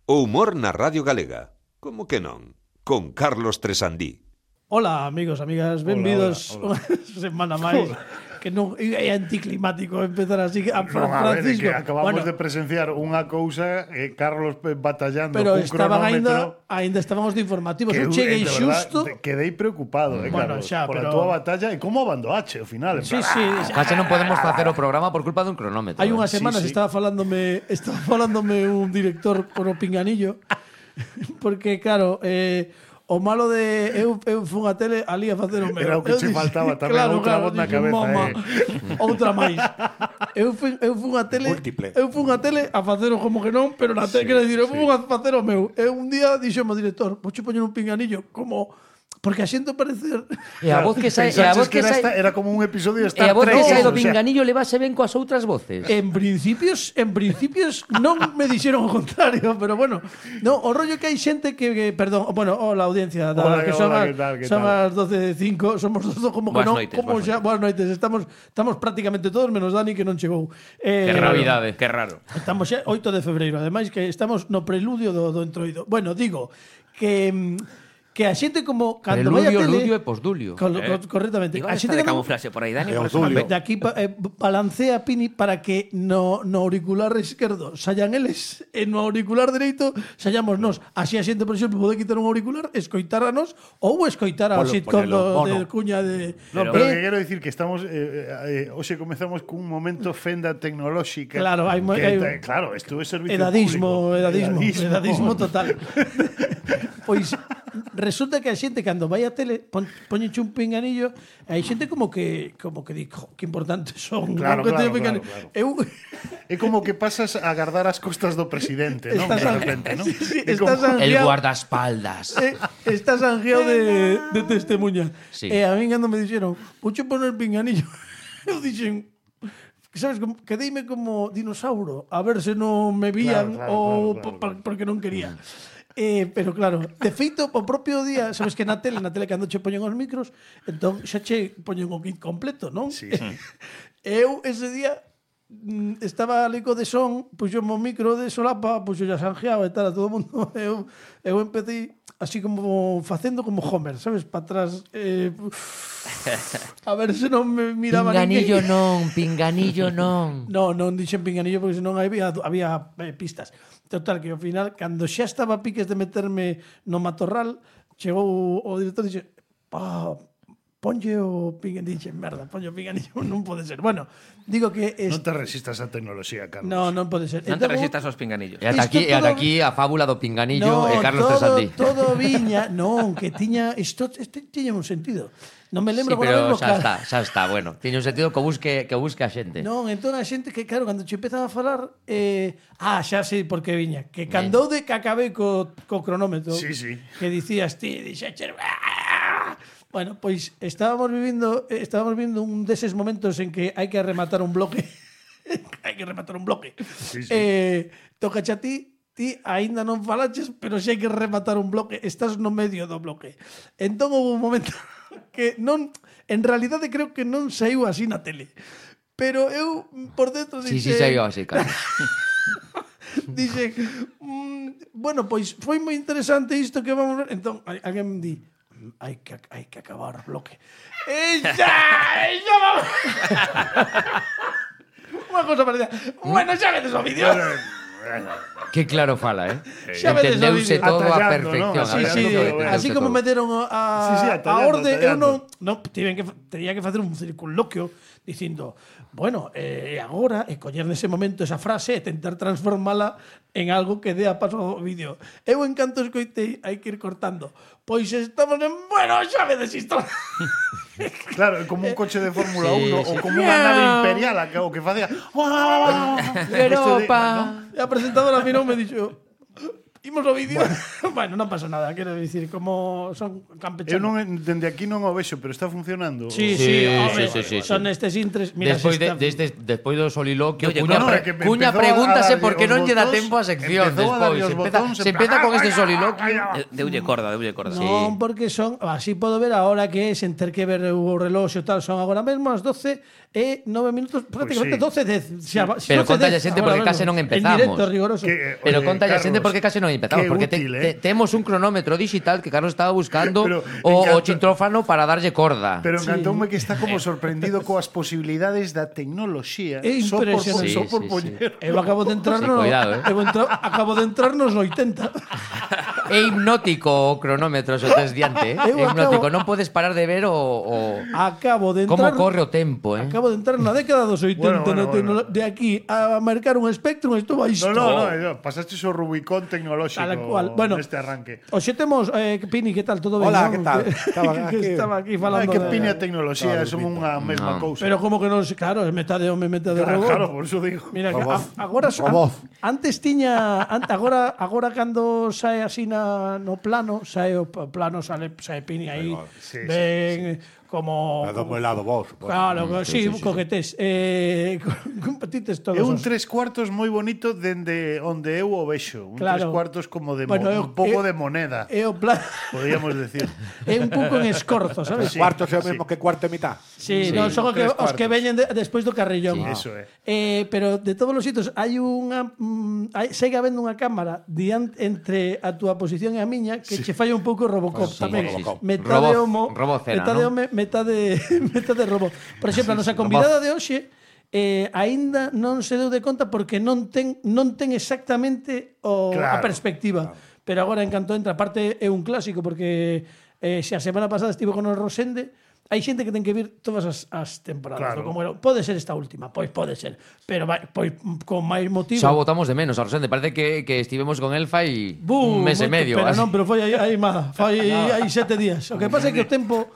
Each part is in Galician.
O humor na Radio Galega. Como que non? Con Carlos Tresandí. Hola, amigos, amigas, benvidos unha semana máis. Que non é anticlimático empezar así a Francisco. Que acabamos de presenciar unha cousa Carlos batallando pero cun estaban cronómetro. ainda estábamos de informativos. Que Eu cheguei xusto. Quedei preocupado, Bueno, Carlos, xa, pola pero túa batalla e como abandoache ao final. Sí. Case non podemos facer o programa por culpa dun cronómetro. Hai unhas Sí, semanas sí. estaba falándome un director por o pinganillo porque claro, o malo de eu fun a tele ali a facer o meu. Era o que che faltaba tamén, outra voz na cabeza, Mama, outra máis. Eu fun a tele, Múltiple. eu fun a tele a facer o como que non, pero na tele, quero dicir, eu fun a facer o meu. E un día dixome o director, vouche poñer un pinganillo como porque a xente parecer E a voz que sai, era como un episodio de e a Star voz Trek. que sai do o sea, pinganillo levase ben coas outras voces. En principios non me dixeron o contrario, pero bueno, no, o rollo que hai xente perdón, bueno, la audiencia Hola, que son hola, as, ¿qué tal? son as 12:05, somos todos como que Boas non, noites, como boas xa, boas noites, estamos prácticamente todos menos Dani que non chegou. Que raridade, que raro. Estamos xa 8 de febreiro, ademais que estamos no preludio do entroido. Bueno, digo que a xente como cando vai a Preludio, tele ludio e postdulio. correctamente. Igual A está xente de cando camuflaxe por aí, Dani. É o por eso Tulio. de aquí balancea Pini para que no auricular esquerdo sayan eles e no auricular dereito sallamos nós. Así a xente, por exemplo, pode quitar un auricular, escoitáranos ou escoitar ao sitcom de Cuña de... No, pero que quero dicir que estamos hoxe comezamos cun momento fenda tecnolóxica. Claro, claro, isto é servicio edadismo total. Pois resulta que a xente cando vai a tele poñeche un pinganillo e hai xente como que di, que importantes son. Claro, que claro, teño claro. Eu É como que pasas a agardar as costas do presidente, non? De repente, non? Sí, É como- estás El anguiado, guardaespaldas. estás anguiado de testemunha. Sí. E a min cando me dixeron, vouche poner pinganillo, eu dixen, sabes, quedeime como dinosauro, a ver se non me vían Claro, ou claro. porque non quería. Pero claro, de feito, o propio día, sabes que na tele cando che poñen os micros, entón xa che poñen o kit completo, non? Sí. Eu ese día estaba ali co de son, puxo o micro de solapa, puxo ya sanjeado e tal, a todo o mundo. Eu empecé así como facendo como Homer, sabes, para atrás. A ver se non me miraba Pinganillo ninguén. pinganillo non. Non dixen pinganillo porque senón había pistas. Total, que ao final, cando xa estaba a piques de meterme no matorral, chegou o director e dixe, ponlle o pinganillo, merda, ponlle o pinganillo, non pode ser. Bueno, digo que... Non te resistas á tecnoloxía, Carlos. Non pode ser. Non te Entón, resistas aos pinganillos. E ata aquí a fábula do pinganillo e Carlos Tresandí. todo viña, non, que tiña isto tiña un sentido. Non me Sí, lembro pero agora xa está, bueno. Tiene un sentido que busque a xente. Non, entón a xente que, claro, cando che empezaba a falar xa sei por que viña. Que cando de que acabei co cronómetro Sí. que dicías ti, dixeches bueno, pois estábamos vivindo un deses momentos en que hai que rematar un bloque. Hai que rematar un bloque. Sí. Tocache a ti aínda non falaches, pero xa hai que rematar un bloque, estás no medio do bloque. Entón houve un momento que non, en realidade creo que non saiu así na tele. Pero eu por dentro Sí, dixe, saiu así, Carlos. dixe, bueno, pois foi moi interesante isto que vamos ver. Entón alguén me di, hai que acabar o bloque. E xa vamos. Unha cosa parecida. Bueno, xa vedes o vídeo. Que claro fala, Xa vedes o Entendeuse vídeo. todo a Atallando, perfección. ¿no? a Sí, perfección, entendeuse así como todo. meteron Sí, a atallando, orde, eu atallando. tenía que facer un circunloquio dicindo, bueno, agora, coller nese momento esa frase e tentar transformala en algo que dé a paso ao vídeo. Eu en canto escoitei, hai que ir cortando. Pois estamos en, bueno, xa vedes isto. Claro, como un coche de Fórmula Sí, 1 sí. ou como unha nave imperial o que facía Europa. E a presentadora mirou me dixo, imos ao vídeo. Bueno, non pasa nada, quero dicir, como son campechanos. Eu non dende aquí non o vexo, pero está funcionando. Sí, Sí, home, sí. son estes intres. Mira, Despois do soliloquio, Oye, Cuña, no, é que me Cuña empezou a pregúntase darlle por que os non lle dá botóns, tempo a sección empezou a darlle despois. os botóns, Se empeza con este soliloquio. Deulle corda. Non, porque son, así podo ver agora que sen ter que ver o reloxo tal, son agora mesmo as 12:09 prácticamente sí. 12:10. Pero contalle a xente porque case non empezamos. En directo, rigoroso. Pero conta a xente porque case non non empezamos, Qué porque útil, temos un cronómetro digital que Carlos estaba buscando Pero o encanta- chintrófano para darlle corda. Pero encantoume que está como sorprendido coas posibilidades da tecnoloxía. É Só por, impresionante. só por Sí, sí, poñer. Eu acabo de entrar Sí, no, cuidado, acabo de entrar nos 80. É hipnótico o cronómetro, se tes diante, Eu É hipnótico, acabo- non podes parar de ver o Acabo de como entrar corre o tempo, Acabo de entrar na década dos 80 Bueno, de aquí a marcar un Spectrum estuvo aí. No, pasaste o Rubicón tecnolóxico Tal cual. Bueno, neste arranque. Hoxe temos Pini, que tal? Todo ben? Hola, non? que tal? Que estaba aquí falando. Que de- piña tecnoloxía, Claro, son unha mesma cousa. Pero como que non se, claro, é metade home, metade robot. Claro, por iso digo. Mira, que Robot. agora Robot. antes tiña agora cando sae así no plano, sae o plano sae Pini aí. Sí, ven como Dame un lado vos. Claro, sí, coquetés. Con petites todos. É un os- 3/4 moi bonito dende onde eu o vexo. Un Claro. 3/4 como de Bueno, un pouco de moneda, É o plan podríamos decir. é un pouco en escorzo, sabes? Cuarto é o mesmo que cuarto e mitad. Sí, Sí, no, son tres os que cuartos. veñen despois do carrillón. Eso é. Pero de todos os sitios hai unha segue habendo unha cámara entre a túa posición e a miña que che falla un pouco Robocop Sí, tamén. sí, sí. Metade Robot- homo, Robocena, metade ¿no? home, metade robot. Por exemplo, a nosa convidada de hoxe aínda non se deu de conta porque non ten exactamente a Claro, perspectiva. Pero agora en canto entra, aparte é un clásico porque se a semana pasada estivo con o Rosende, hai xente que ten que vir todas as temporadas. Claro. Como era, pode ser esta última, pois pode ser, pero pois con máis motivo. Xa o botamos de menos a Rosende, parece que estivemos con el fai un mes e medio. Pero así. non, pero foi aí má, foi aí 7 días. O que pasa é que o tempo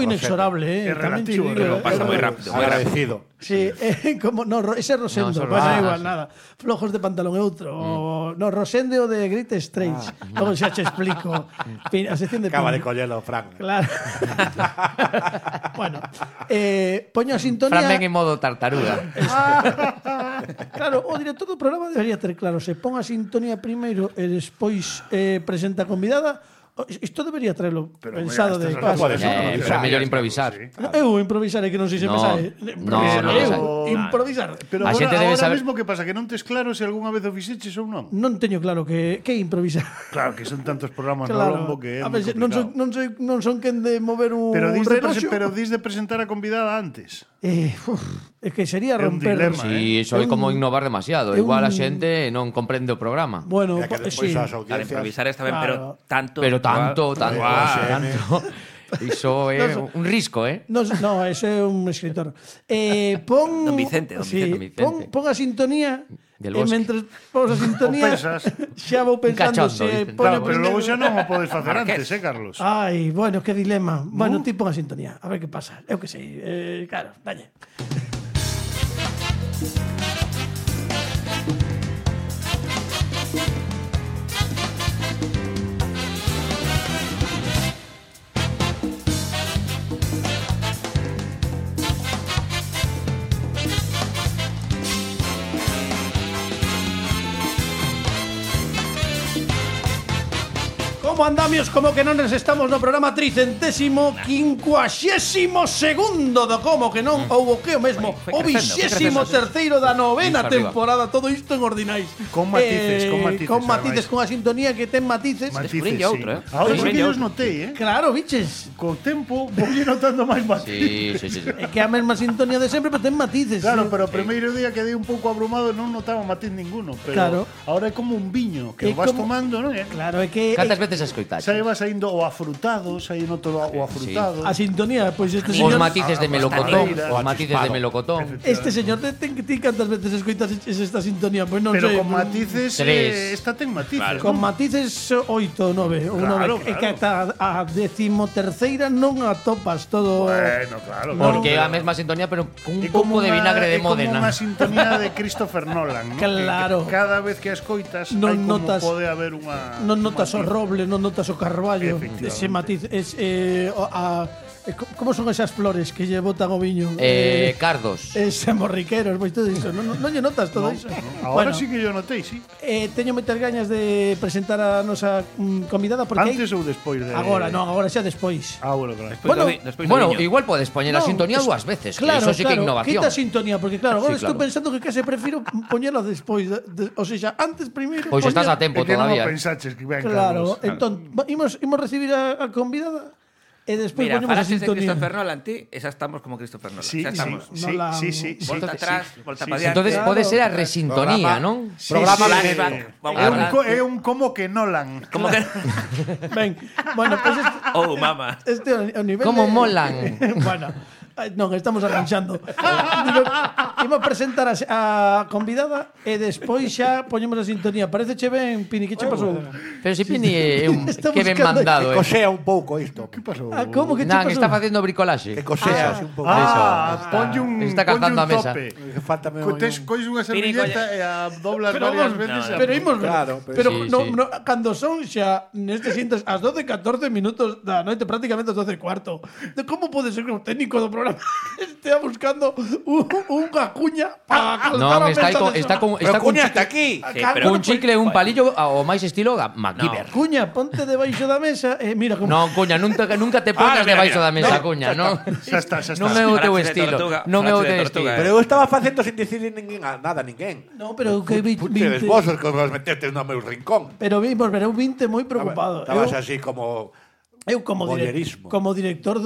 inexorable, É tamén relativo, che digo, pero pasa moi rápido. Agradecido. Sí, como ese Rosendo, No, pues ah, igual sí. nada. Flojos de pantalón é outro. No, Rosende o de Great Strange. Logo xa che explico. A sección de Acaba Pini. de collelo, Fran. Claro. Bueno, poño a sintonía. Fran ven en modo tartaruga. Claro, o director do programa debería ter claro, se pon a sintonía primeiro e despois presenta a convidada. Isto debería traerlo pensado de estas paso. non pode ser. Pero é mellor improvisar. Eu improvisaré que non sei se me No, sae. no, non Eu sai. improvisar. Pero A xente agora debe saber- mesmo que pasa que non tes claro se algunha vez o fixeches ou non. Non teño claro que improvisar. Claro, que son tantos programas no Claro. lombo que é A moi ver, non complicado. son quen de mover un Pero reloxo. dis de presentar a convidada antes. É que sería É un romper. dilema, Si, iso é como innovar demasiado. é Igual a un- xente non comprende o programa. Bueno, Ya que despois sí. as Para audiencias... improvisar está ben, Claro. pero tanto. Pero tanto. Guau. Iso é un risco, No, ese é un escritor. Pon Don Vicente, don sí, Vicente. Pon a sintonía Del e Bosque. mentre pon a sintonía O pensas. xa vou pensando cachondo, se dicen. pone Claro, pero logo primeiro- xa non o podes facer Marqués. antes, Carlos? Ai, bueno, que dilema. Bueno, ti pon a sintonía, a ver que pasa. Eu que sei, claro, dalle. Como andamios, como que non estamos no programa 352º do Como que non, ou o que o mesmo, Foi o crecendo, 23º da novena Iso arriba. temporada, todo isto en ordinais. Con matices, Con matices, ademais. con a sintonía que ten matices. Matices, Descubriña outro, sí. eh. Ahora sí que Descubriña os outro. notei, Claro, biches. Co tempo voulle notando máis matices. Sí. É que a mesma sintonía de sempre, pero ten matices. Claro, pero o primeiro día quedei un pouco abrumado non notaba matiz ninguno, pero Claro. ahora é como un viño que É o vas como- tomando, non é? Claro, é que Cantas veces escoitaste? Xa va saindo o afrutado, xa noto o afrutado. a sintonía, pois este Os señor matices de melocotón, Costaneira. os matices de melocotón. Este señor ten que ti cantas veces escoitas esta sintonía, pois non Pero sei. con matices, Tres. esta ten matices. Con non? matices 8 ou 9 ou Claro, 9 é que ata a 13ª non atopas todo. Bueno, claro. Porque é claro. a mesma sintonía, pero con un É como pouco de vinagre de é como Módena. unha sintonía de Christopher Nolan, ¿no? Claro. Que cada vez que a escoitas Non hai como notas- pode haber unha Non notas o matiz. roble, non notas o carballo, Efectivamente. ese matiz Como son esas flores que lle botan o viño? Cardos. Morriqueros, pois todo iso. Non lle notas todo iso? Ahora sí que yo notei, sí. Teño moitas gañas de presentar a nosa convidada porque Antes ou despois de... Agora, non, agora xa despois. Bueno, claro. Despois do Bueno, viño. igual podes poñer a sintonía dúas veces, que eso sí que é innovación. Quita sintonía, porque claro, agora Sí, estou claro. pensando que case prefiro poñela despois, o sea, antes primeiro. Pois estás a tempo É que non o todavía. pensaches que ven, Claro, Carlos. entón, imos recibir a convidada e despois Mira, poñemos a falaste de sintonía. Christopher Nolan, ti, esa estamos como Christopher Nolan. Sí, Xa estamos. sí. Volta atrás, volta para diante. Entonces Claro. pode ser a resintonía, non? Programa de Flashback. medio. Vamos É a un como que Nolan. Como que... Ben, bueno, pois Oh, mama. este o nivel Como de- molan. Bueno, non, estamos arranxando. Imos presentar a convidada e despois xa poñemos a sintonía. Parece che ben, Pini, que che pasou? Pero si Pini é un Está que ben buscando- mandado, Que cosea un pouco isto. Que pasou? Como que che Nan, pasou? está facendo bricolaxe. Que cosea así un pouco. Ponlle un Está ponlle calzando un a mesa. tope. Faltame Colles unha servilleta e a doblas Pero varias vamos, veces. pero imos ver. Claro, pero sí, no, sí. no, cando son xa nestes intres as 12:14 minutos da noite, prácticamente as 12:15. De como pode ser que o técnico do programa estea buscando unha cuña para calzar Non, a está, mesa con, de está sofá? con, está con, Cuña hasta aquí. Sí, Claro, pero- un chicle e un palillo ao máis estilo MacGyver. Cuña, ponte debaixo da mesa e mira como Non, cuña, nunca te pongas mira, debaixo mira. da mesa, cuña, non. Xa está. Non é o teu Frase de estilo. tortuga, Non é o frase de teu tortuga, estilo. Pero eu estaba facendo sin dicir nada a ninguén. No, pero que Puxedes vos os que os metetes no meu rincón. Pero vimos, ver, eu vinte moi preocupado. Estabas así como... Eu como Voyerismo. como director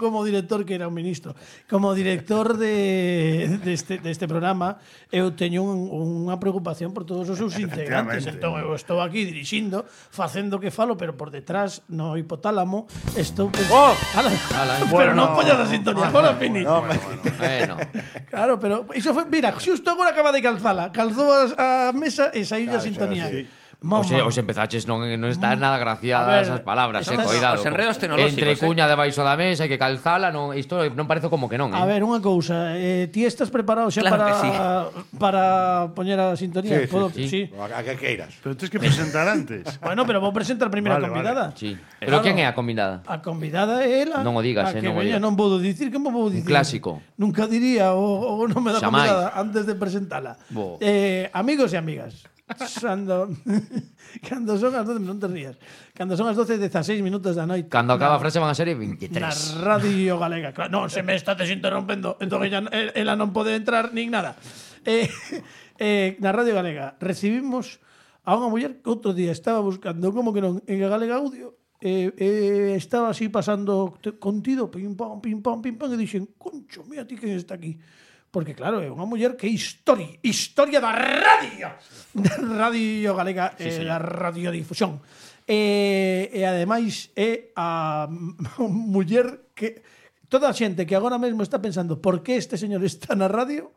como director que era un ministro, como director deste programa, eu teño unha preocupación por todos os seus integrantes. Efectivamente. Entón eu estou aquí dirixindo, facendo que falo, pero por detrás no hipotálamo estou ¡Oh! Pero Bueno, non poñas a sintonía, agora Pini. Bueno, Claro, pero iso foi, mira, xusto agora acaba de calzala, calzou a mesa e saiu a sintonía. os empezaches non está nada A graciadas ver, as palabras, estas- cuidado. os enredos tecnolóxicos, Entre cuña debaixo da mesa e que calzala, non, isto non parece como que non, A ver, unha cousa, ti estás preparado xa Claro para que sí. para poñer a sintonía? Sí, Podo- sí. A que queiras. Pero tens que presentar antes. Bueno, pero vou presentar primeiro a Vale, convidada. Sí. Pero quen é a combinada? A convidada é ela. Non o digas, a que non o veña, digas. non vou dicir, que vou dicir? clásico. Nunca diría o nome da Xamais. convidada antes de presentala. Bo. Amigos e amigas, cando son as 12, non te rías. Cando son as 12:16 minutos da noite. Cando acaba a na- frase van a ser Na 23. Radio Galega. Claro, non, se me estás interrompendo. Entón ela non pode entrar nin nada. Na Radio Galega recibimos a unha muller que outro día estaba buscando como que non en Galega Audio estaba así pasando contido pim pam e dixen, concho, mira ti quen está aquí. Porque claro, é unha muller que é historia da radio. Da Radio Galega, da radiodifusión. E ademais é a muller que toda a xente que agora mesmo está pensando por que este señor está na radio,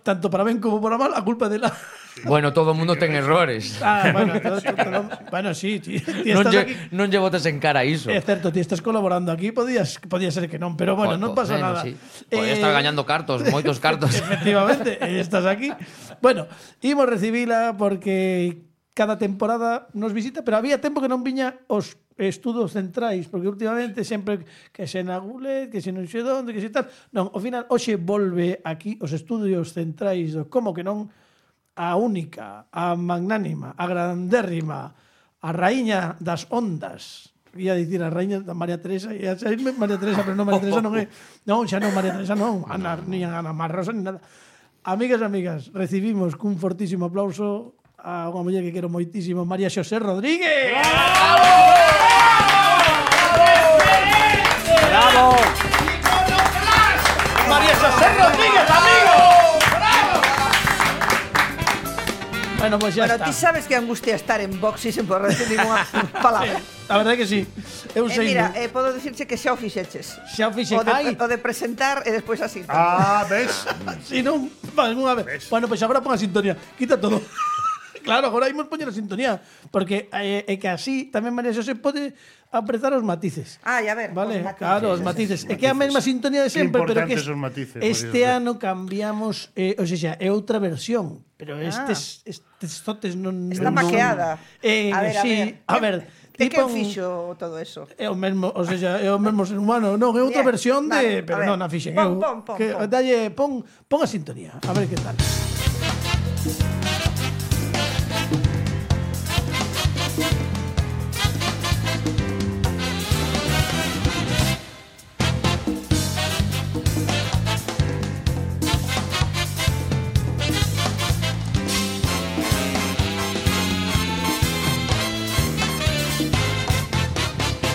tanto para ben como para mal, a culpa é dela. Bueno, todo o mundo ten errores. Bueno, sí, ti Non estás aquí. non lle botes en cara iso. É certo, ti estás colaborando aquí, podía ser que non, pero bueno, non pasa nada. Sí. Podía estar gañando cartos, moitos cartos. Efectivamente, estás aquí. Bueno, imos recibila porque cada temporada nos visita, pero había tempo que non viña os estudos centrais, porque últimamente sempre que se na Gulet, que se non sei onde, que se tal. Non, ao final, hoxe volve aquí os estudios centrais do Como que non, a única, a magnánima, a grandérrima, a raíña das ondas. Ia dicir a raíña da María Teresa, ia saírme María Teresa, pero non María Teresa non é. Non, xa non María Teresa non, ni Ana Marrosa ni nada. Amigas e amigas, recibimos cun fortísimo aplauso a unha muller que quero moitísimo, María Xosé Rodríguez. ¡Bravo! María Xosé Rodríguez, amigo. Bueno, pues ya Bueno, está. ti sabes que angustia estar en Vox e sen poder decir ninguna palabra. A verdade que sí. Eu sei. Mira, podo dicirche que xa o fixeches. Xa o fixen. Ai, O de presentar e despois así. ¿Ves? si non, vale, unha vez. Bueno, pues agora pon a sintonía. Quita todo. Claro, agora imos poñer a sintonía, porque é que así tamén María Xosé pode apreciar os matices. Ai, a ver, Vale, os matices. claro, os matices. É que é a mesma sintonía de sempre, pero que importantes os matices, María este Xosé. ano cambiamos, ou seja, é outra versión, pero estes totes non Está non- maqueada. A ver, sí, a ver, E quen fixo todo eso? É o mesmo, o sea, é o mesmo ser humano. Non, é outra Bien, versión vale, de, pero a ver. non a fixen Pon, eu. pon, pon, Que pon. dalle, pon a sintonía, a ver que tal.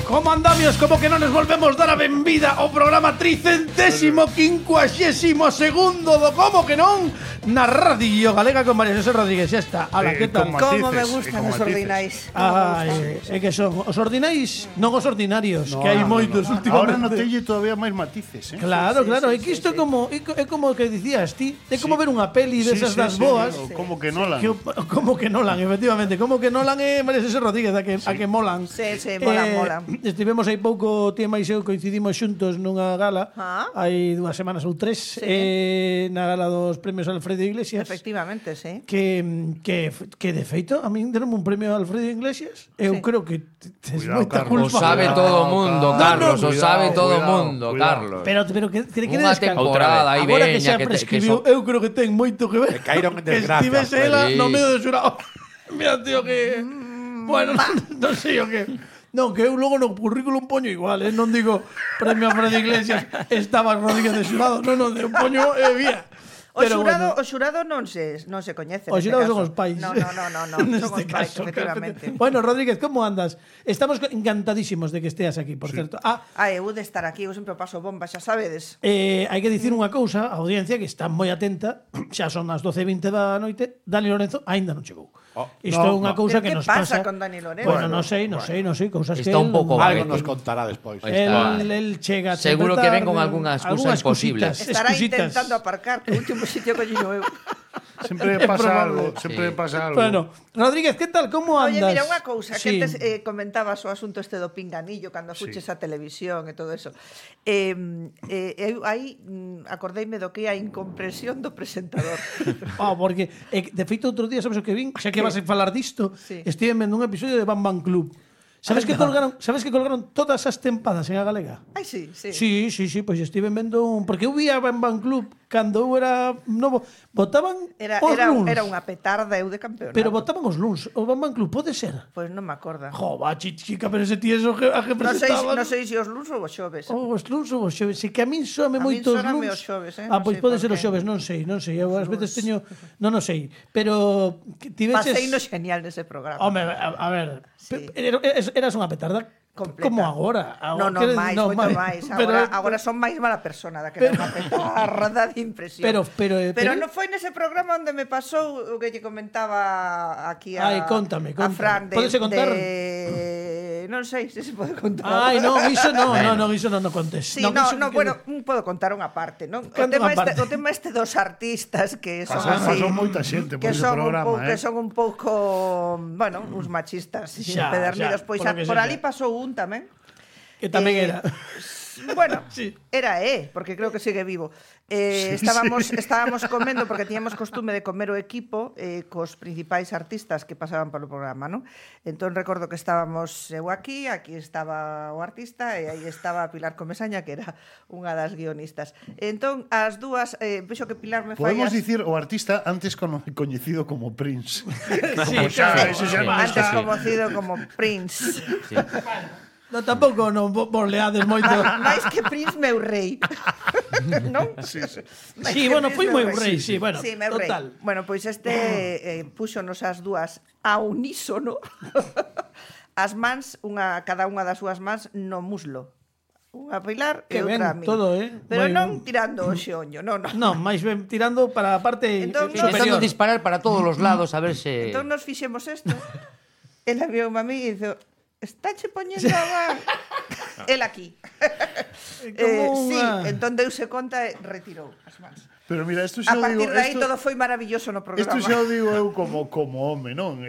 Como andamios, como que non nos volvemos dar a benvida ao programa 352º do Como que non na Radio Galega con María José Rodríguez. Xa está. Ala, que tal? con Como me matices, gustan con os matices. ordinais. Ai, é que son os ordinais, non os ordinarios, que hai moitos Ahora últimamente. notelle todavía máis matices, Claro, claro, é que isto é como que dicías ti, é como ver unha peli desas das boas. Como que Nolan. Como que Nolan, efectivamente. Como que Nolan é María José Rodríguez, a que molan. Sí, molan. Estivemos aí pouco, tía máis eu coincidimos xuntos nunha gala hai 2 semanas ou 3 na gala dos premios Alfredo Iglesias. Efectivamente, sí. Que de feito a min deronme un premio a Alfredo Iglesias. Eu creo que tes Cuidado, moita Carlos. culpa. O sabe todo o mundo, Carlos. O sabe todo o mundo, Carlos. Pero que Unha temporada aí agora que veña xa prescribiu, eu creo que ten moito que ver. Que caíron en Que desgracia. estivese ela Sí. no medio do xurado. Mira, tío, que bueno, non sei o que. Non, que eu logo no currículum poño igual, non digo premio Alfredo Iglesias, estaba Rodríguez de xurado. Non, eu poño vía. O xurado non se coñece. Os neste xurados caso. son os pais. No, son os pais, efectivamente. Bueno, Rodríguez, como andas? Estamos encantadísimos de que esteas aquí, por certo. Eu de estar aquí, eu sempre paso bomba, xa sabedes. Hai que dicir unha cousa, a audiencia que está moi atenta, xa son as 12:20 da noite, Dani Lorenzo aínda non chegou. Isto é unha cousa que Que nos pasa pasa. con Dani Lorenzo? Bueno, non sei, cousas que Está un pouco Algo vaguete. nos contará despois. El chega Seguro sempre que ven tarde, con algunha excusa imposible. Estará excusitas. intentando aparcar, que o último sitio que eu. Sempre É pasa probable. algo, sempre pasa algo. Bueno, Rodríguez, que tal? Como Oye, andas? mira, unha cousa, Sí. que antes comentabas o asunto este do pinganillo cando fuches a televisión e todo eso. Eu aí acordeime do que é a incomprensión do presentador. Porque de feito outro día, sabes o que vin? Xa que vas a falar disto, Sí. estive vendo un episodio de Bam Bam Club. Sabes que colgaron todas as tempadas en a galega? Ai, sí. Sí, pois estive vendo porque eu vi a Bam Bam Club cando eu era novo, botaban os luns. Era unha petarda eu de campeonato. Pero botaban os luns. O Bam Bam Club pode ser. Pois non me acordo. Jo, va, chica, pero ese tío eso a que Non presentaban. sei se os luns ou os xoves. Os luns ou os xoves. Si que a min soame A min moito os sóname luns. os xoves, Pois non sei pode por ser os qué. xoves, non sei. Eu ás veces teño, non o sei, pero tiveches Pasei no genial nese programa. Home, a ver, Sí. eras unha petarda Completa. como agora. Non, máis, moito máis. Agora son máis mala persona da que era unha petarda de impresión. Pero non foi nese programa onde me pasou o que lle comentaba aquí a Contame. a Fran Pódese contar? Non sei se se pode contar. Non, iso non contes. Sí, bueno, podo contar unha parte, non? O tema este dos artistas que son así, Pasou moita xente por ese programa, que son un pouco, bueno, uns machistas empedernidos, pois por ali pasou un tamén. Que tamén era. Bueno, Sí. era porque creo que sigue vivo. Estábamos comendo porque tiñamos costume de comer o equipo cos principais artistas que pasaban polo programa, non? Entón recordo que estábamos eu aquí estaba o artista e aí estaba Pilar Comesaña, que era unha das guionistas. Entón as dúas, vexo que Pilar me fai Podemos dicir o artista antes coñecido como Prince. Sí, Ese xa non antes está. conocido como Prince. Non, tampouco non vos leades moito. Mais que Prince meu rei. Non? Sí. Sí, bueno, foi moi rei, sí, bueno, Sí, meu rei. total. Bueno, pois púxonos as dúas a unísono as mans, cada unha das súas mans no muslo. Unha a Pilar e Que ben, outra a mí. todo, Pero moi non ben. tirando o xeoño, non. Non, máis ben tirando para a parte Entón, Intentando superior. disparar para todos os lados a ver se... Entón nos fixemos isto. Ela viu a mí e dixo, estáche poñendo a man. El aquí. Como Sí, unha- entón deuse conta e retirou as mans. Pero mira, isto A xa partir digo, de aí todo foi maravilloso no programa. Isto xa o digo eu como home, non?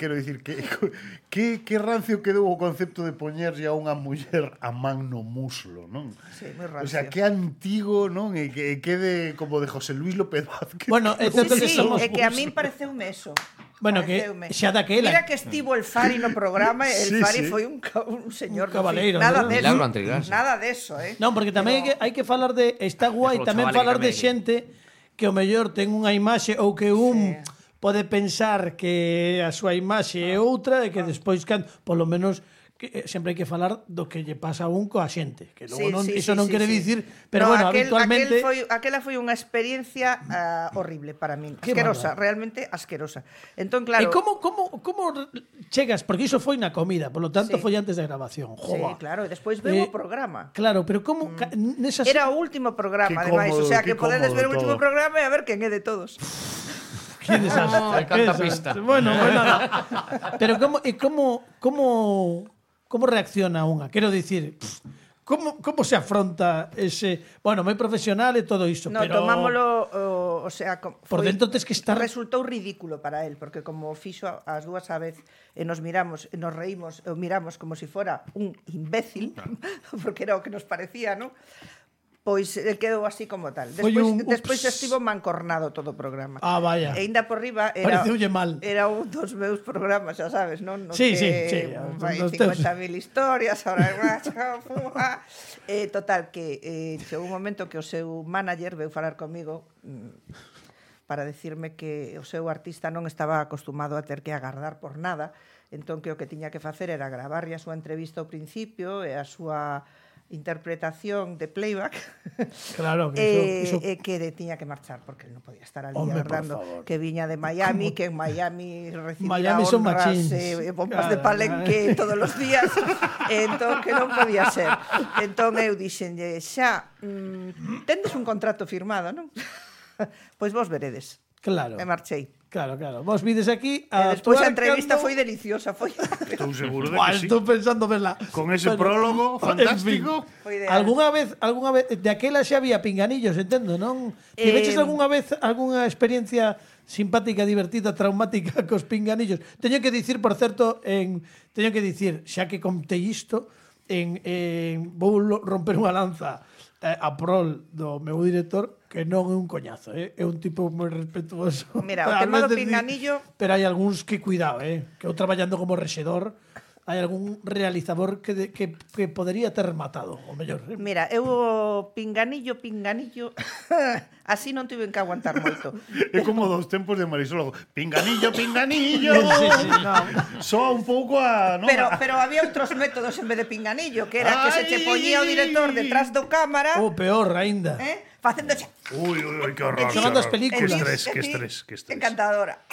Quero dicir que rancio quedou o concepto de poñerlle a unha muller a man no muslo, non? Sí, moi O sea, rancio. que antigo, non? E que quede como de José Luis López Vázquez. Bueno, Sí, entonces sí, somos é que a min pareceume eso. Bueno, que pareceume. xa daquela. Mira que estivo el Fari no programa, e el Sí, Fari sí. foi un señor Un cabaleiro, nada ¿no? de Milagro eso. antigrasa. Nada de eso, Non, porque tamén hai que falar de... Está guai Polo tamén chaval que falar de camelle. xente que o mellor ten unha imaxe ou que pode pensar que a súa imaxe é outra e que despois, polo menos, que sempre hai que falar do que lle pasa a un coa xente. Que logo iso non quere dicir... Pero bueno, habitualmente... Aquela foi unha experiencia horrible para min. Qué Asquerosa, bárbaro. realmente asquerosa. Entón, claro... E como chegas? Porque iso foi na comida, polo tanto Sí. foi antes da grabación. Sí, Jova. claro, e despois veu o programa. Claro, pero como nesas... Era o último programa, Qué ademais, o cómodo, sea, qué que podedes ver o cómodo último todo. programa e a ver quen é de todos. Qué desastre. Ai, qué canta desastre. pista. Bueno, pues nada. Pero como reacciona unha? Quero dicir, como se afronta ese... Bueno, moi profesional e todo iso, No, pero... tomámolo, o sea, Por dentro tes que estar... Resultou ridículo para él, porque como fixo as dúas a vez e nos miramos, e nos reímos, e o miramos como se fora un imbécil, porque era o que nos parecía, ¿no? Pois quedou así como tal. Foi Despois ups. estivo mancornado todo o programa. Ah, vaya. E ainda por riba era, Pareceulle mal. era un dos meus programas, xa sabes, non? Nos Sí, que sí. Vai Dos teus. 50.000 historias, ahora total, que chegou un momento que o seu manager veu falar comigo para decirme que o seu artista non estaba acostumado a ter que agardar por nada, entón que o que tiña que facer era gravarlle a súa entrevista ao principio e a súa interpretación de playback Claro, que iso... que tiña que marchar porque non podía estar ali Hombre, por agardando favor. que viña de Miami, que en Miami recibirá Miami son honras machíns. bombas de Claro, palenque todos os días, entón que non podía ser. Entón eu dixenlle, xa, tendes un contrato firmado, non? Pois vos veredes. Claro. E marchei. Claro. Vos vides aquí E despois a actuar entrevista cando- foi deliciosa, foi. Estou seguro de Buah, que sí. estou pensando verla. Con ese Bueno, prólogo fantástico. Foi ideal. Algunha vez de aquela xa había pinganillos, entendo, non? Tiveches algunha vez algunha experiencia simpática, divertida, traumática cos pinganillos? Teño que dicir, por certo, xa que contei isto, vou romper unha lanza a prol do meu director, que non é un coñazo, é un tipo moi respetuoso. Mira, o A tema do veces pinganillo- pero hai algúns que cuidado, que eu traballando como rexedor, hai algún realizador que podería ter matado, o mellor. Mira, eu o pinganillo, así non tiven que aguantar moito. É como dos tempos de Marisol. Pinganillo, pinganillo. Sí, no. Soa un pouco a... ¿no? Pero había outros métodos en vez de pinganillo, que era que se che Ai. poñía o director detrás do cámara, O peor aínda. facendo xa. Uy, qué horror. Xogando as qué horror. películas. Qué estrés. Encantadora.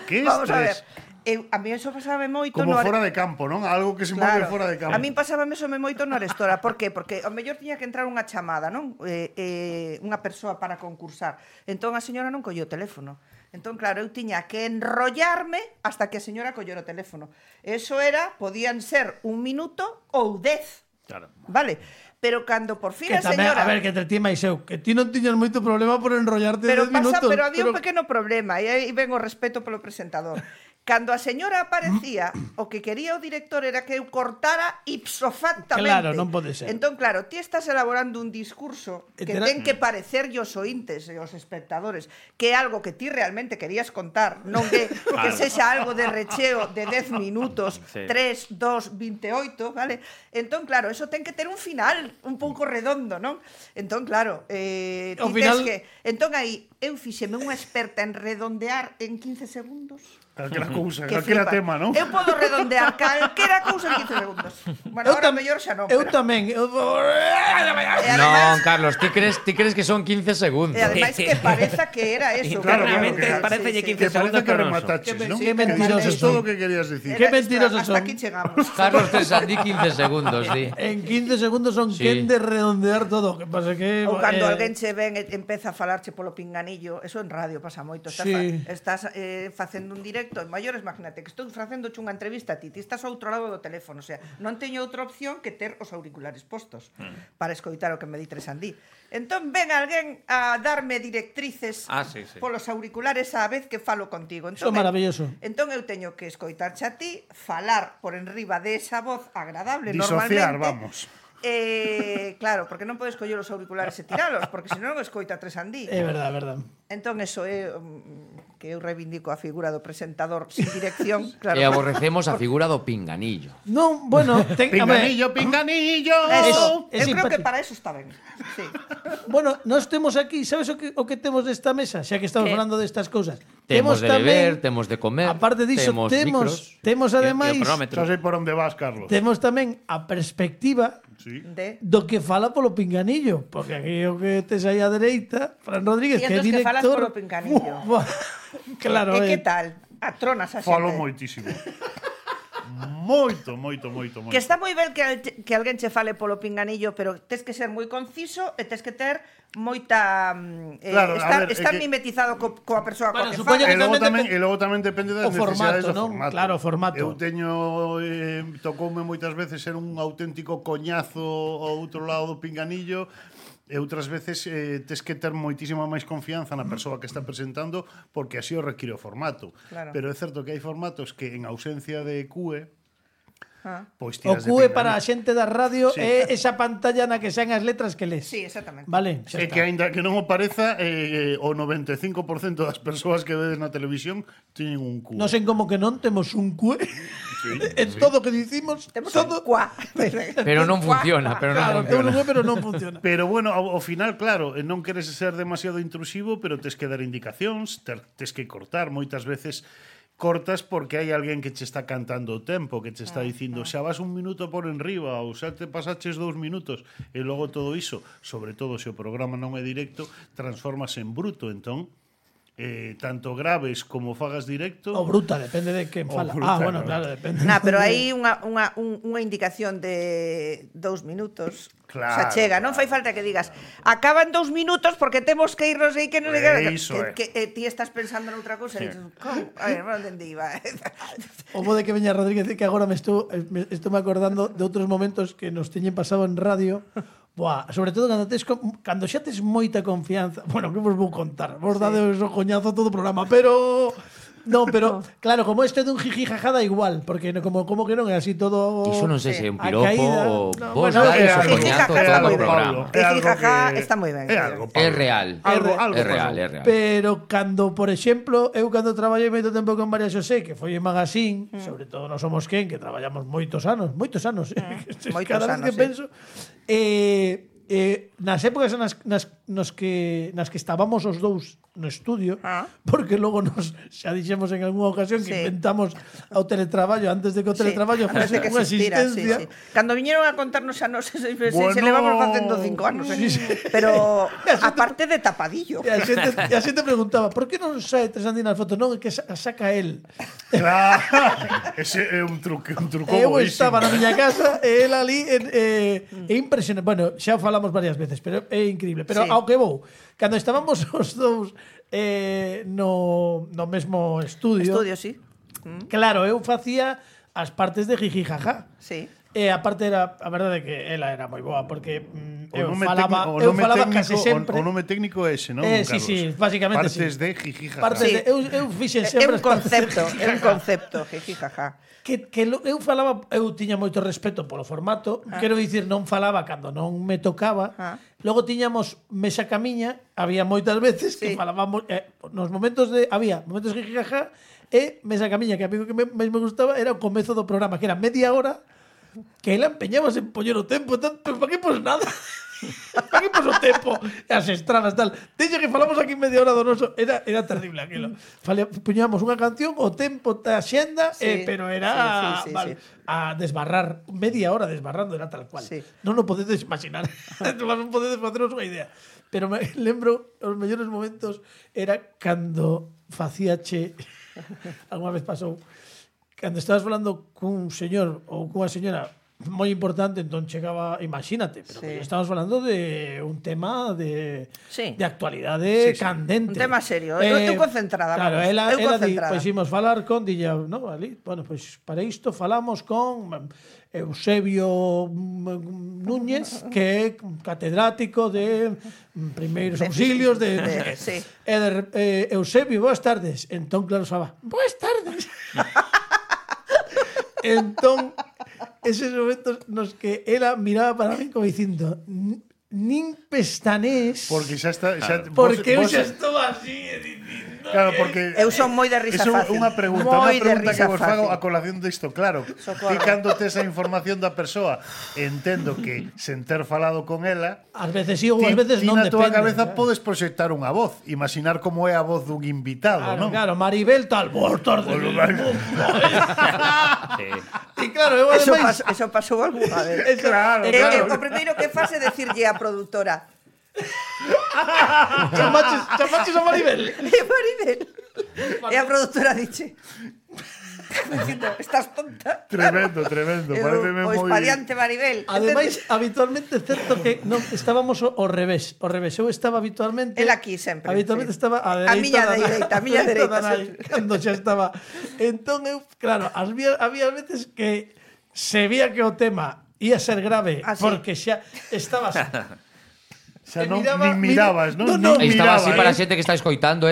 Qué Vamos a ver. estrés. A mí eso pasaba moito Como no fora de campo, ¿no? Algo que se move fora de campo. A min pasábame eso moito no Arestora. Por qué? Porque ao mellor tiña que entrar unha chamada, non? Unha persoa para concursar. Entón a señora non colleu o teléfono. Entón, claro, eu tiña que enrollarme hasta que a señora collera o teléfono. Eso era, podían ser 1 minuto ou 10. Claro. Vale? Pero cando por fin Que a tamén, señora... a ver, que te ti máis eu, que ti non tiñas moito problema por enrollarte 10 Pero minutos. pero había un pequeno problema, e aí ven o respeto polo presentador. Cando a señora aparecía, o que quería o director era que eu cortara ipso factamente. Claro, non pode ser. Entón, claro, ti estás elaborando un discurso E que terá- ten que parecerlle aos ointes e aos espectadores que é algo que ti realmente querías contar, non que sexa algo de recheo de 10 minutos, Sí. 3, 2, 28, vale? Entón, claro, eso ten que ter un final un pouco redondo, non? Entón, claro, ti Ao final- tes que... Entón, aí, eu fixeme unha experta en redondear en 15 segundos. Calquera cousa, Que calquera flipa. tema, ¿no? Eu podo redondear calquera cousa en 15 segundos. Bueno, ahora mellor xa non. Eu pero- tamén. E Non, ademais, Carlos, ti crees que son 15 segundos. e ademais que pareza que era eso. Internamente claro, parecelle 15 Que segundos, parece que pero non son. remataches, ¿no? Qué mentirosos Es todo son. lo que querías decir. Qué mentirosos hasta son. aquí chegamos. Carlos Tresandí 15 segundos, di. En 15 segundos son Sí. quen de redondear todo. Que pasa que... Ou cando alguén che ven e empeza a falarche polo pinganillo, eso en radio pasa moito. Estás, Sí. estás facendo un directo en maiores, imagínate que estou facendo unha entrevista a ti estás ao outro lado do teléfono, o sea, non teño outra opción que ter os auriculares postos para escoitar o que me di Tresandí. Entón ven alguén a darme directrices Sí. polos auriculares á vez que falo contigo. Eso é maravilloso. Entón eu teño que escoitarche a ti, falar por enriba de esa voz agradable Disociar, normalmente. vamos. Claro, porque non podes coller os auriculares e tiralos, porque senón non escoita Tresandí. É verdade, é verdade. Entón, eso é que eu reivindico a figura do presentador sin dirección, claro. E aborrecemos a figura do pinganillo. Non, bueno, Pinganillo, pinganillo. Eso, É eu creo que simpático. para eso está ben. Sí. Bueno, nós temos aquí, sabes o que temos nesta mesa? Xa que estamos Que? falando destas cousas. Temos de tamén, beber, temos de comer, aparte diso, temos micros. temos ademais, Xa sei por onde vas, Carlos. temos tamén a perspectiva Sí. De... que fala polo pinganillo, porque aquí o que tes aí á dereita, Fran Rodríguez, E que é entón que falas director. polo pinganillo. Claro, E que tal? Atronas a xente. Falo moitísimo. Moito. Que está moi ben que alguén che fale polo pinganillo, pero tes que ser moi conciso e tes que ter moita Claro, a ver, estar é que- mimetizado coa persoa Bueno, coa que supoño fala. E logo tamén depende das o formato, necesidades do non? formato. Claro, o formato. Eu teño tocoume moitas veces ser un auténtico coñazo ao outro lado do pinganillo. E outras veces tes que ter moitísima máis confianza na persoa que está presentando porque así o require o formato. Claro. Pero é certo que hai formatos que en ausencia de QE Ah. pois O tiras de QE pinganillo. para a xente da radio Sí. é esa pantalla na que saen as letras que lees. Sí, exactamente. Vale, xa É está. que aínda que non o pareza, o 95% das persoas que vedes na televisión teñen un QE. Non sei como que non temos un QE. En todo o que dicimos, Temos todo... un cuá. Pero non funciona, pero non Claro, temos un funciona. QE, pero non funciona. Pero bueno, ao final, claro, non queres ser demasiado intrusivo, pero tes que dar indicacións, tes que cortar. Moitas veces cortas porque hai alguén que che está cantando o tempo, que che está dicindo xa vas un minuto por enriba ou xa te pasaches 2 minutos e logo todo iso, sobre todo se o programa non é directo, transformas en bruto, entón tanto graves como fagas directo. O bruta, depende de quen fala. bruta, Bueno, ¿no? claro, depende. Nah, pero hai unha indicación de 2 minutos. Claro, O sea, chega, non fai falta que digas acaban 2 minutos porque temos que irnos e que non Iso é. que ti estás pensando noutra cousa e dices, como? A ver, non entendi, va. O bo de que veña Rodríguez que agora me estou me acordando de outros momentos que nos teñen pasado en radio. Buah, sobre todo cando xa tes moita confianza. Bueno, que vos vou contar? Vos dades o coñazo todo o programa, pero no, pero claro, como este é dun jiji jajada igual, porque como que non é así todo. Iso non sei se é un a piropo caída. ou No, vos bueno, dades o jiji coñazo jaja todo está o moi ben. programa. É algo Jijijaja que- está moi ben. É algo, É Pablo. real. Algo É real, pasou. é real. Pero cando, por exemplo, eu cando traballei moito tempo con María Xosé, que foi en Magazine, sobre todo non somos quen, que traballamos moitos anos, Moitos cada vez anos, que sí. penso, nas épocas nas que estábamos os dous no estudio, porque logo nos xa dixemos en algunha ocasión que Sí. inventamos o teletraballo antes de que o teletraballo antes fose de que unha existira, existencia. sí, sí. Cando viñeron a contarnos a nos se Bueno. levamos facendo 5 anos, pero aparte de tapadillo. E a xente preguntaba, por que non sae Tresandín nas fotos? Non, é que saca el. Claro, ese é un truco Eu boísimo. estaba na miña casa e el ali é impresionante. Bueno, xa o falamos varias veces, pero é increíble. Pero Sí. ao que vou, cando estábamos os dous no mesmo estudio, Sí. claro, eu facía as partes de jiji jaja. Sí. E a parte era, a verdade é que ela era moi boa porque eu nome falaba, técnico- eu nome falaba técnico- case sempre. O nome técnico é ese, non? Sí, Carlos? sí, básicamente Partes sí. de jijija. Partes Sí. de, eu fixen É sempre un as partes de concepto, é un concepto, jijijaja. eu falaba, eu tiña moito respeto polo formato, quero dicir, non falaba cando non me tocaba. Logo tiñamos mesa camiña, había moitas veces que Sí. falábamos nos momentos había momentos jijijaja e mesa camiña, que a mí o que máis me gustaba era o comezo do programa, que era media hora que ela empeñabas en poñer o tempo, pero para que pos nada? Para que pos o tempo? As estradas, tal. Deixa que falamos aquí media hora do noso. Era terrible aquilo. Poñamos unha canción, o tempo da xenda, Sí. pero era Sí. a desbarrar, media hora desbarrando, era tal cual. Sí. Non o podedes imaginar. Non podedes faceros unha idea. Pero me lembro, os mellores momentos era cando facíache alguna vez pasou cando estabas falando cun señor ou cunha señora moi importante, entón chegaba, imagínate, pero Sí. que estamos falando de un tema de Sí. actualidade candente. Un tema serio. Eu concentrada, Claro, vamos. ela di, Concentrada. pois imos falar con dilla, no, ali, bueno, pois para isto falamos con Eusebio Núñez, que é catedrático de primeiros auxilios de Sí. Eusebio, boas tardes. Entón, claro, estaba, boas tardes. Entón, eses momentos nos que ela miraba para mí como dicindo, nin pestanés, Porque xa está... Xa, porque eu vos- xa estou así e dicindo, Claro, porque Eu son moi de risa eso é fácil. unha pregunta Moi de que risa vos fago fácil. a colación disto, claro. Socorro. Ti cando tes a información da persoa, entendo que sen ter falado con ela, Ás veces sí ou ás veces ti non na túa depende. cabeza podes proxectar unha voz, imaginar como é a voz dun invitado, Claro, non? claro, Maribel tal, vos tarde. Sí. E claro, eu ademais Eso pasou algunha vez. Claro, O primeiro que faz é decirlle á produtora chamaches a Maribel. Maribel. E a produtora dixe dicindo, estás tonta. Tremendo, pareceme O moi... espadiante Maribel. Ademais, habitualmente é certo que non estábamos ao revés. Eu estaba habitualmente... El aquí sempre, Habitualmente sí. estaba a A miña dereita. dereita, a miña dereita, da nai, sempre. cando xa estaba. Entón, eu, claro, había veces que se vía que o tema ia ser grave, Ah, sí. porque xa estabas... Xa E non, miraba- nin mirabas, non? No, Nin Estaba así miraba, para a xente que está escoitando,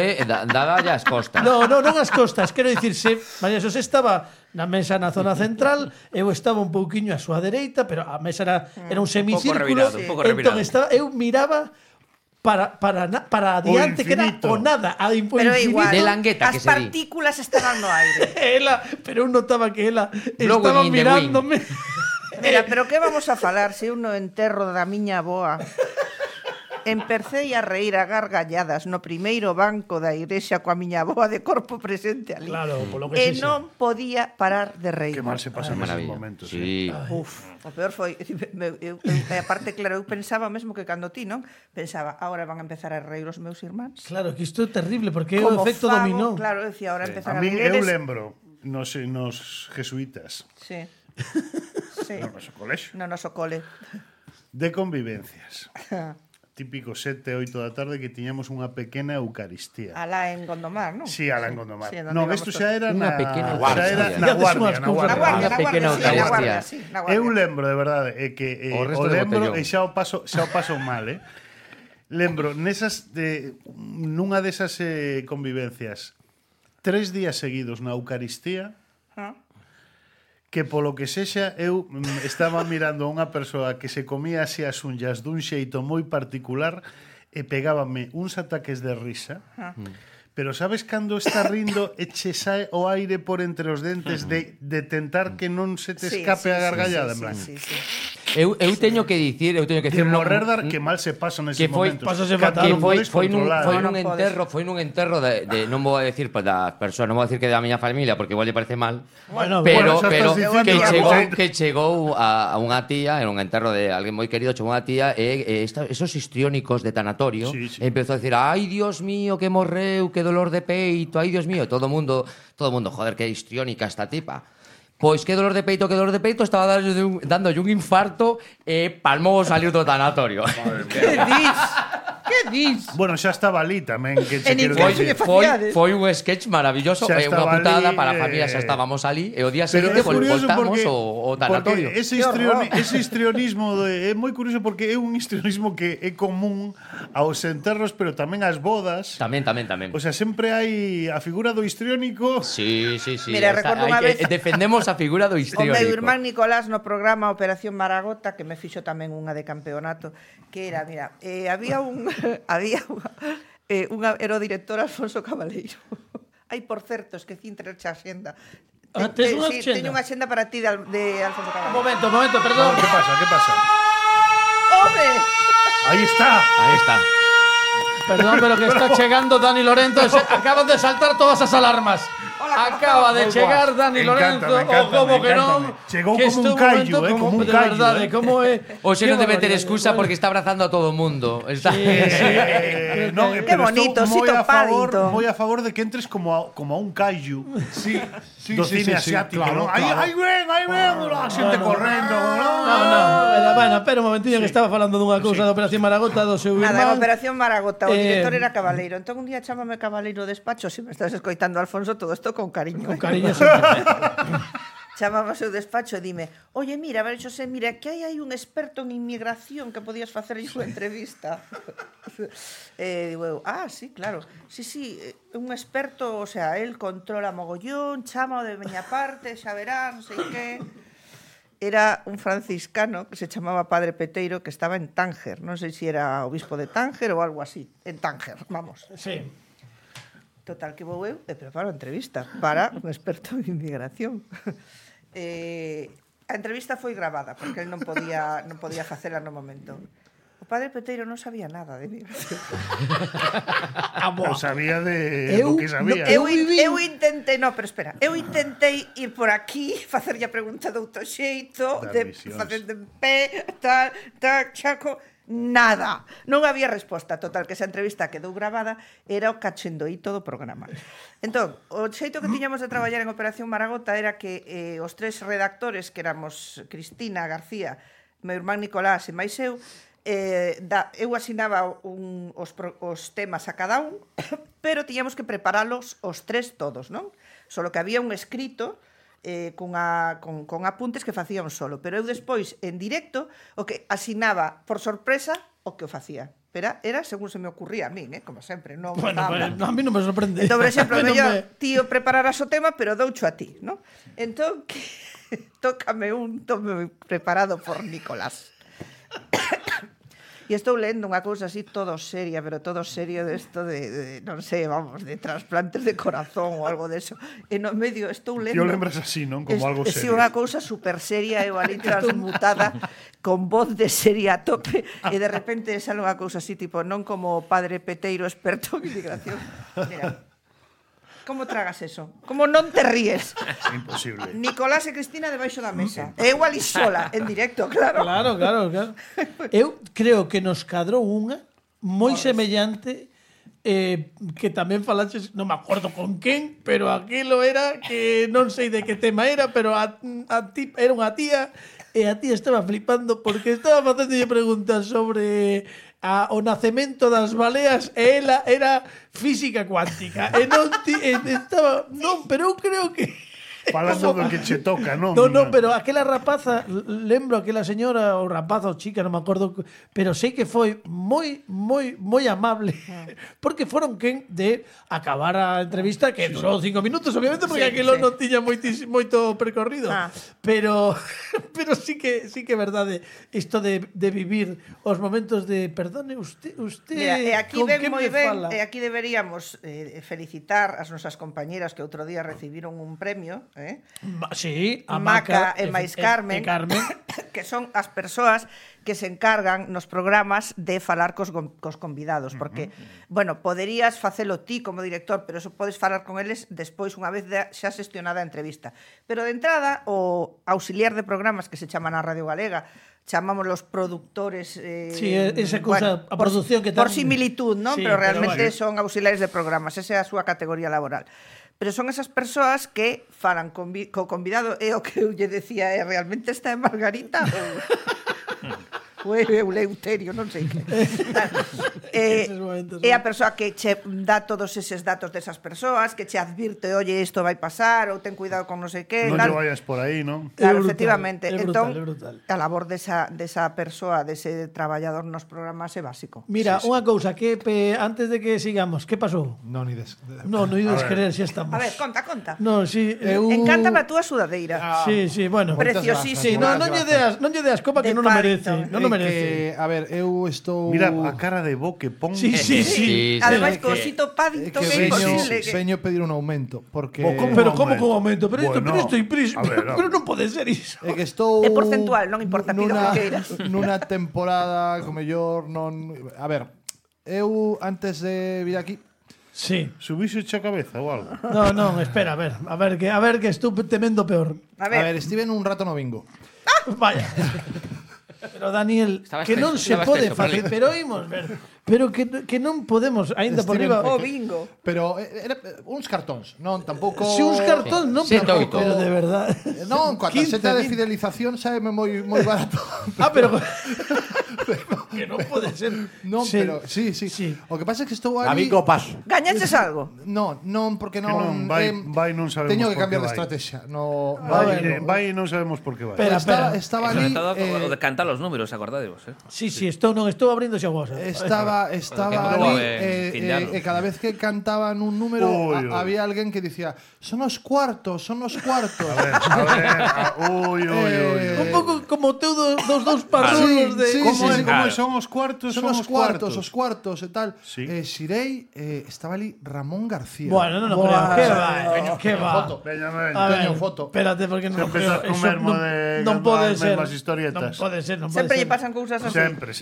daba as costas. Non as costas, quero dicir, María Xosé estaba na mesa na zona central, eu estaba un pouquiño á súa dereita, pero a mesa era un semicírculo, revirado, un pouco entón revirado. eu miraba para adiante, que era infinito. o nada, o Pero infinito. igual, De langueta, as que se di. partículas estaban no aire. Pero eu notaba que ela Blowing estaba in the mirándome. Mira, pero que vamos a falar se eu no enterro da miña avoa empercei a reír a gargalladas no primeiro banco da igrexa coa miña avoa de corpo presente ali. Claro, polo que E sexa. non podía parar de reír. Que mal se pasa neses Maravilla. momentos. Sí. Uf, o peor foi e aparte, claro, eu pensaba mesmo que cando ti, non? Pensaba, agora van a empezar a reír os meus irmáns. Claro, que isto é terrible, porque é o Como efecto fago, dominó. Claro, eu decía, ahora empezan A a min reír eu eles. lembro nos jesuitas, Sí. Sí. no noso colexo, No noso cole. de convivencias. Típico 7, 8 da tarde que tiñamos unha pequena eucaristía. Alá en Gondomar, non? Sí, Alan Gondomar. Sí, donde non, íbamos isto todos. xa era Unha na pequena xa era eucaristía. na Fíjate, guardia, unhas na cousas Na guardia. guardia, Unha na pequena guardia, sí, na eucaristía. guardia, sí, na guardia. Eu lembro, de verdade, é que O resto o de lembro botellón. e xa o paso mal, Lembro nunha desas convivencias 3 días seguidos na Eucaristía Ah. que polo que sexa eu estaba mirando a unha persoa que se comía así as unllas dun xeito moi particular e pegábame uns ataques de risa. Pero sabes cando está rindo e che sae o aire por entre os dentes de tentar que non se te escape a gargallada, en plan. Sí. Eu teño que dicir, De morrer dar que mal se pasa neses que foi- momentos. Pásase Cando fatal. non podes controlar. Non podes. foi nun enterro de non vou a decir das persoas, non vou a decir que da miña familia porque igual lle parece mal. Bueno, Pero xa pero estás dicindo que chegou a unha tía, en un enterro de alguén moi querido, chegou unha tía e esos histriónicos de tanatorio Sí, sí. empezou a decir: "Ai, Dios mío, que morreu, que dolor de peito, ai, Dios mío", todo o mundo, joder, que histriónica esta tipa. Pois que dolor de peito, estaba dándolle un infarto e palmou saliu do tanatorio. Que dis? Que dis? Bueno, xa estaba ali tamén, que che En quero Info- dicir. Foi un sketch maravilloso, Xa é unha estaba putada ali, para a familia, xa estábamos ali e o día Pero seguinte é curioso voltamos porque, ao tanatorio. porque ese histrionismo é moi curioso porque é un histrionismo que é común aos enterros, pero tamén ás bodas. Tamén. O sea, sempre hai a figura do histriónico. Sí. Mira, recordo unha vez- defendemos a figura do O histriónico. meu irmán Nicolás no programa Operación Maragota, que me fixo tamén unha de campeonato, que era, mira, había era o director Alfonso Cabaleiro. Ai, por certo, esquecín traerche a xenda. Tes unha Sí, axenda? teño unha xenda para ti de Alfonso Un Cabaleiro. momento, perdón. ¿Qué pasa? ¡Hombre! Aí está. Aí está. Perdón, pero que está chegando Dani Lorenzo. Acaban de saltar todas as alarmas. Acaba de chegar Dani Lorenzo. O como que non. Chegou que como un este callo, momento como un de callo, verdade, como é. Hoxe non debe ter barbaridade. excusa porque está abrazando a todo o mundo. Está... No, Qué pero bonito, estou sí, topadito. moi a favor de que entres como a un callo Sí, do cine asiático, claro, ¿no? Aí ven, a xente correndo. No. Bueno, pero un momentinho que estaba falando dunha cousa da Operación Maragota do seu Nada, en irmán. Operación Maragota, o Eh, director era Cabaleiro. Entón un día chámame Cabaleiro ao despacho, se me estás escoitando, Alfonso, todo isto con cariño. Con cariño sempre. Chamaba ao seu despacho e dime: "Oye, mira, a ver, Xosé, mira, que hai un experto en inmigración que podías facerlle unha entrevista." Digo eu: sí, claro. Sí, un experto, o sea, él controla mogollón, chámao de miña parte, xa verás, non sei que. Era un franciscano que se chamaba Padre Peteiro, que estaba en Tánger. Non sei se era obispo de Tánger ou algo así. En Tánger, vamos. Sí. Total, que vou eu e preparo a entrevista para un experto en inmigración. A entrevista foi gravada, porque ele non podía facela no momento. O padre Peteiro non sabía nada de migración. Non sabía de lo que sabía. Eu intentei, no, pero espera, eu intentei ir por aquí, facerlle a pregunta de outro xeito, de facer de pé, tal, chaco, nada. Non había resposta. Total, que esa entrevista quedou gravada, era o cachendoíto do programa. Entón, o xeito que tiñamos de traballar en Operación Maragota era que os tres redactores, que éramos Cristina, García, meu irmán Nicolás e máis eu asinaba os temas a cada un, pero tiñamos que preparalos os tres todos, non? Solo que había un escrito con apuntes que facía un solo, pero eu despois, en directo, o que asinaba por sorpresa o que o facía. Pero era según se me ocurría a mí, como sempre. Non Bueno, a mí non me sorprende. Entón, por exemplo, mellor tío prepararás o tema, pero doucho a ti, non? Entón, tócame un tome preparado por Nicolás. E estou lendo unha cousa así todo seria, pero todo serio desto de non sei, vamos, de trasplantes de corazón ou algo deso. E no medio estou lendo... Yo lembras así, non? Como algo serio. Si unha cousa super seria, eu ali transmutada, con voz de seria a tope, e de repente sale unha cousa así, tipo, non como o padre Peteiro experto en inmigración. Mira, como tragas eso? Como non te ríes? Imposible. Nicolás e Cristina debaixo da mesa. Eu ali sola, en directo, claro. Claro. Eu creo que nos cadrou unha moi semellante que tamén falaches, non me acordo con quen, pero aquilo era que non sei de que tema era, pero a ti era unha tía e a tía estaba flipando porque estaba facéndolle preguntas sobre o nacemento das baleas e ela era física cuántica e non estaba, non, pero eu creo que Falando do que che toca, non? No, pero aquela rapaza, lembro aquela señora ou rapaza ou chica, non me acordo, pero sei que foi moi amable, porque foron quen de acabar a entrevista, que durou 5 minutos, obviamente, porque aquilo non tiña moito percorrido. Pero sí que é verdade isto de vivir os momentos de perdone, usted mira, e aquí con ven quen moi me ben, fala? e aquí deberíamos felicitar as nosas compañeras que outro día recibiron un premio, Sí, a Maca e máis Carmen, que son as persoas que se encargan nos programas de falar cos convidados, porque, bueno, poderías facelo ti como director, pero eso podes falar con eles despois, unha vez xa xestionada a entrevista. Pero de entrada, o auxiliar de programas que se chama na Radio Galega, chamamos los productores, sí, esa cousa, a produción que por similitud, non? Sí, pero realmente pero son auxiliares de programas, esa é a súa categoría laboral. Pero son esas persoas que falan co convidado, e o que eu lle decía é realmente está en Margarita ou Eleuterio, non sei que. É a persoa que che dá todos eses datos desas persoas, que che advirte, oye, isto vai pasar, ou ten cuidado con non sei que. Non lle vayas por aí, non? Claro, efectivamente. É entón, brutal. a labor desa persoa, dese traballador nos programas é básico. Mira, unha cousa, que antes de que sigamos, que pasou? Non ides. Non ides querer, xa estamos. A ver, conta. No, sí, Encántame a túa sudadeira. Sí, bueno. Preciosísimo. Sí, non lle deas copa que non o merece. Non o merece. A ver, eu estou... Mira a cara de bo que pon. Sí. Ademais, co osito Paddington é imposible. Veño pedir un aumento, porque... Pero como con aumento? Pero Bueno, isto imprís. Pero non pode ser iso. É que estou... É porcentual, non importa, pido que queiras. Nunha temporada, como mellor, non... A ver, eu antes de vir aquí... Sí. Subise a cabeza ou algo? Non, espera, a ver que estou temendo peor. A A ver, ver, estive un rato no bingo. Vaya. Pero Daniel, que non se pode facer, pero imos ver. Pero que non podemos, aínda por riba. o bingo. Pero era uns cartóns, non tampouco... Se uns cartóns non, pero de verdade. Non, coa 15, tarxeta de 20. fidelización sabe moi barato. Pero que non pode ser. Non, Sí. pero sí. O que pasa é que estou A ali... bingo paso. Gañaches algo? Non, porque Que non, vai non sabemos teño que por cambiar que de vai. estrategia. No, Vai e non sabemos por que vai. Espera. Estaba Sobre ali... todo o de cantar los números, acordadevos, Sí, estou abrindo xa vosa. Estaba Porque ali fin de ano. e cada vez que cantaban un número Uy. había alguén que dicía son os cuartos. A ver. Ui. Un pouco como o teu dos dous parrulos de... Como claro. son os cuartos? Son os cuartos e tal. Sí. Xirei, estaba ali Ramón García. Bueno, non creo. Que va, que va. Foto. Veña, A ver, Teño foto. espérate, porque non Sempre creo. estás con mermo de non pode as ser. mesmas historietas. Non pode ser, non pode Sempre ser. lle pasan cousas así.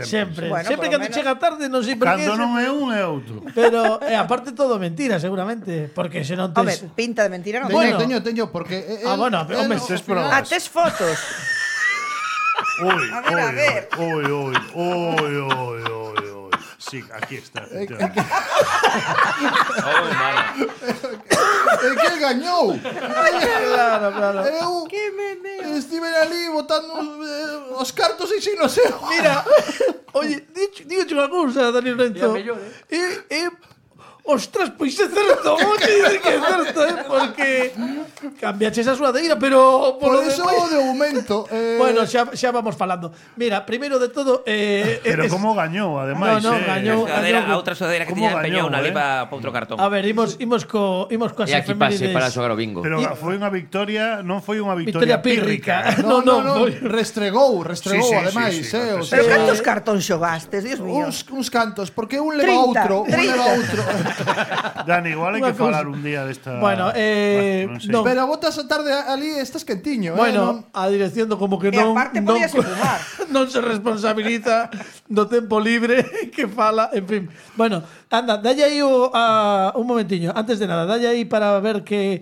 Sempre. Bueno, Sempre polo cando menos. chega tarde, non sei por qué. Cando non é un é outro. Pero, aparte todo mentira, seguramente. Porque se non Home, tes... pinta de mentira non. Bueno. Teño, porque... bueno, pero, home, tes ao provas. Ah, tes fotos. Ui, A ver. ui. Sí, aquí está. É que gañou. Claro. Eu estive ali botando os cartos e xin no seu. Mira, oye, digo unha cousa, Daniel Renzo. Ostras, pois é certo, oye, que é certo, porque cambiaches a suadeira, pero Por lo eso demais- de momento... Bueno, xa vamos falando. Mira, primeiro de todo, Pero como gañou, ademais. No, gañou. A outra sudadera que Como tiña empeñou gañou, na lipa para outro cartón. A ver, imos coas E aquí pase efemérides. para xogar o bingo. Pero foi unha victoria, non foi unha Victoria victoria pírrica. pírrica. No, No, foi- restregou, Sí, ademais, sí, o sí, Pero sea, cantos cartóns xogastes, Dios mío. uns cantos, porque un leva 30, outro, 30. Dani, igual hai Unha que falar cousa. un día desta... Bueno, non sei. non. Pero botas a tarde ali estás quentiño, Bueno, a dirección do como que E non aparte podíase fumar. non se responsabiliza do tempo libre que fala, en fin. Bueno, anda, dalle aí un momentiño, antes de nada, dalle aí para ver que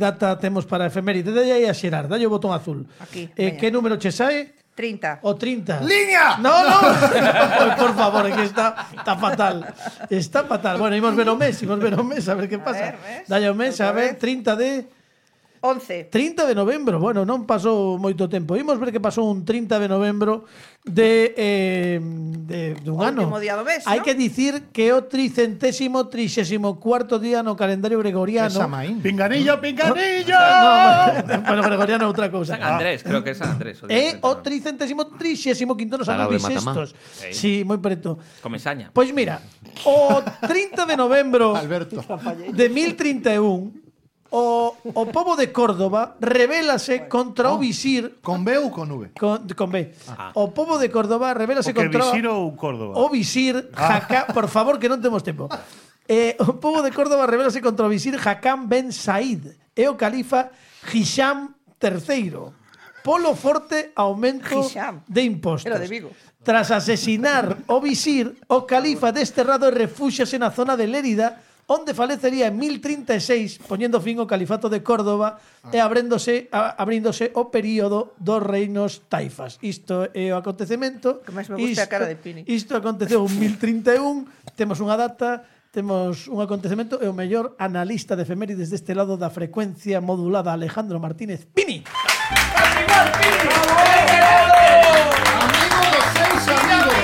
data temos para a efeméride, dalle aí a xerar, dalle o botón azul. Aquí, veña. Que número che sae? 30. O 30. ¡Liña! No. Por favor, que está fatal. Está fatal. Bueno, imos ver o mes, a ver que pasa. ver, ves? Dalle o mes, a Outra ver, vez. 30 de 11. 30 de novembro, bueno, non pasou moito tempo. Imos ver que pasou un 30 de novembro dun O ano. último día do mes, Hai ¿no? que dicir que é o 334º día no calendario gregoriano. Esa maín. Pinganillo! Bueno, gregoriano é outra cousa. San Andrés, creo que é San Andrés. É o 335º nos anos Sarao de Matamá. bisestos. Sí, moi preto. Comesaña. Pois mira, o 30 de novembro Alberto. de 1031 o pobo de Córdoba rebélase contra o visir Con B ou con V? con B. O pobo de Córdoba rebélase O que contra visir ou Córdoba? o visir Hakam, por favor, que non temos tempo. O pobo de Córdoba rebélase contra o visir Hakam ben Said e o califa Hisham III. Polo forte aumento Hisham. de impostos. Era de Vigo. Tras asesinar o visir, o califa desterrado refúxiase na zona de Lérida, onde falecería en 1036, poñendo fin ao califato de Córdoba e abríndose o período dos reinos taifas. Isto é o acontecemento. Que máis me gusta a cara de Pini. Isto aconteceu en 1031, temos unha data, temos un acontecemento e o mellor analista de efemérides deste lado da frecuencia modulada, Alejandro Martínez Pini. Amigo dos seis amigos.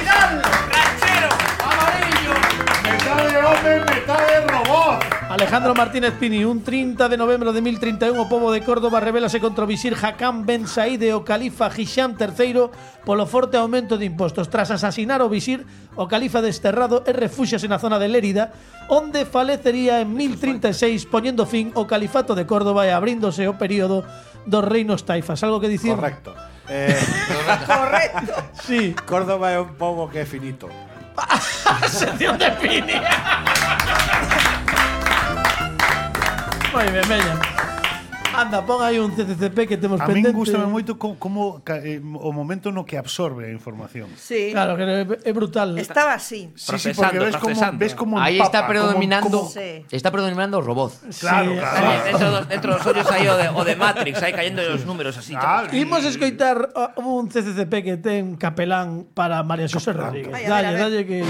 Metade home, metade robot! Alejandro Martínez Pini, un 30 de novembro de 1031, o pobo de Córdoba rebélase contra o visir Hakam ben Said e o califa Hisham III polo forte aumento de impostos. Tras asasinar o visir, o califa desterrado e refúxiase na zona de Lérida, onde falecería en 1036, poñendo fin ao califato de Córdoba e abríndose o período dos reinos taifas. Algo que dicir? Correcto. Correcto. Sí. Córdoba é un pobo que é finito. Sección de Pini. Moi ben, veña. Anda, pon aí un CCCP que temos A min pendente. gustame moito como o momento no que absorbe a información. Sí. Claro, que é brutal. Estaba así. Sí, porque ves como Aí empapa, está predominando, Sí. está predominando o robot. Claro, Sí. claro. Dentro dos ollos aí o de Matrix, aí cayendo os números así. Claro. Imos escoitar un CCCP que ten capelán para María Xosé Rodríguez. Ai, a ver, a ver. Dalle que...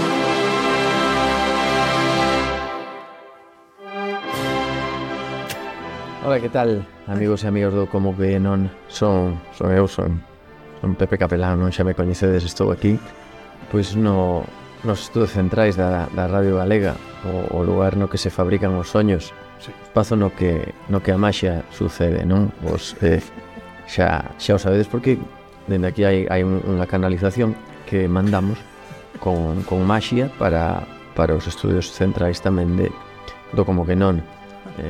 Ola, que tal, amigos e amigas do Como que non son Pepe Capelán, non xa me coñecedes, estou aquí pois nos estudos centrais da Radio Galega, o lugar no que se fabrican os soños, espazo no que a maxia sucede, non? Vos xa o sabedes porque dende aquí hai unha canalización que mandamos con maxia para os estudios centrais tamén do Como que non.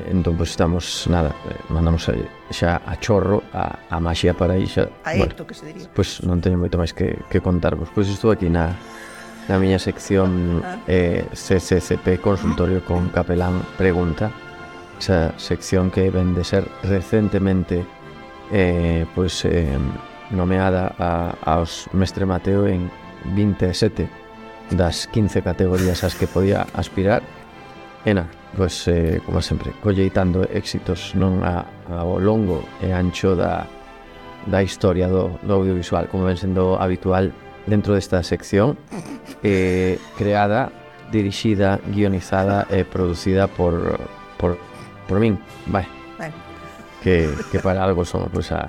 entón, pois estamos, nada, mandamos xa a chorro a maxia para aí xa. A Ecto, que se diría. Pois non teño moito máis que contarvos. Pois estou aquí na miña sección CCCP, Consultorio con Capelán Pregunta. Esa sección que ven de ser recentemente nomeada aos Mestre Mateo en 27 das 15 categorías ás que podía aspirar. E nada, pois, como sempre, colleitando éxitos non ao longo e ancho da historia do audiovisual, como ven sendo habitual dentro desta sección, creada, dirixida, guionizada e producida por min, vai. Que para algo son pois a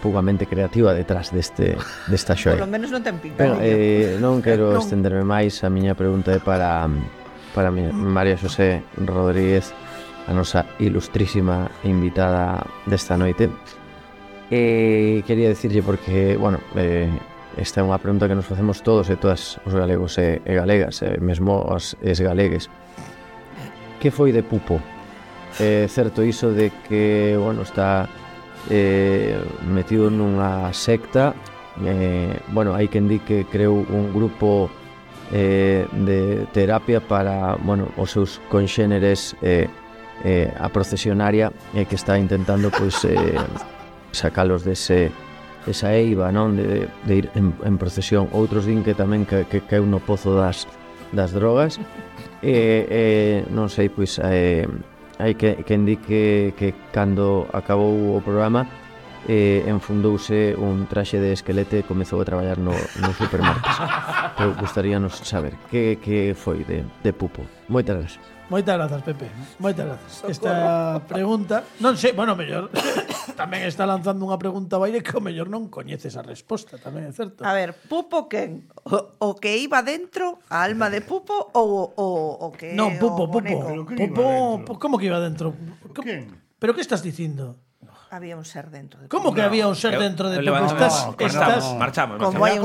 pugamente creativa detrás desta xoia. Por lo menos non ten pinta. Pero, non quero estenderme máis. A miña pregunta é para María Xosé Rodríguez, a nosa ilustrísima invitada desta noite. Quería dicirlle porque, bueno, esta é unha pregunta que nos facemos todos e todas os galegos e galegas, mesmo os galegues. Que foi de Pupo? É certo iso de que, bueno, está metido nunha secta, bueno, hai quen di que creou un grupo de terapia para, bueno, os seus conxéneres a procesionaria, que está intentando pois sacalos esa eiva, non, de ir en procesión. Outros din que tamén que caeu no pozo das drogas, non sei, pois hai quen di que cando acabou o programa enfundouse un traxe de esquelete e comezou a traballar no supermercado. Pero gustaríanos saber que foi de Pupo. Moitas gracias. Moitas grazas, Pepe. Moitas grazas. Esta pregunta, non sei, bueno, mellor tamén está lanzando unha pregunta ao aire que o mellor non coñeces a resposta, tamén é certo. A ver, Pupo quen? O que iba dentro, a alma de Pupo ou que Non, Pupo. Como que iba dentro? Quen? Pero que estás dicindo? Había un ser dentro de Como que había un ser dentro de Pupo? Marchamos. Como hai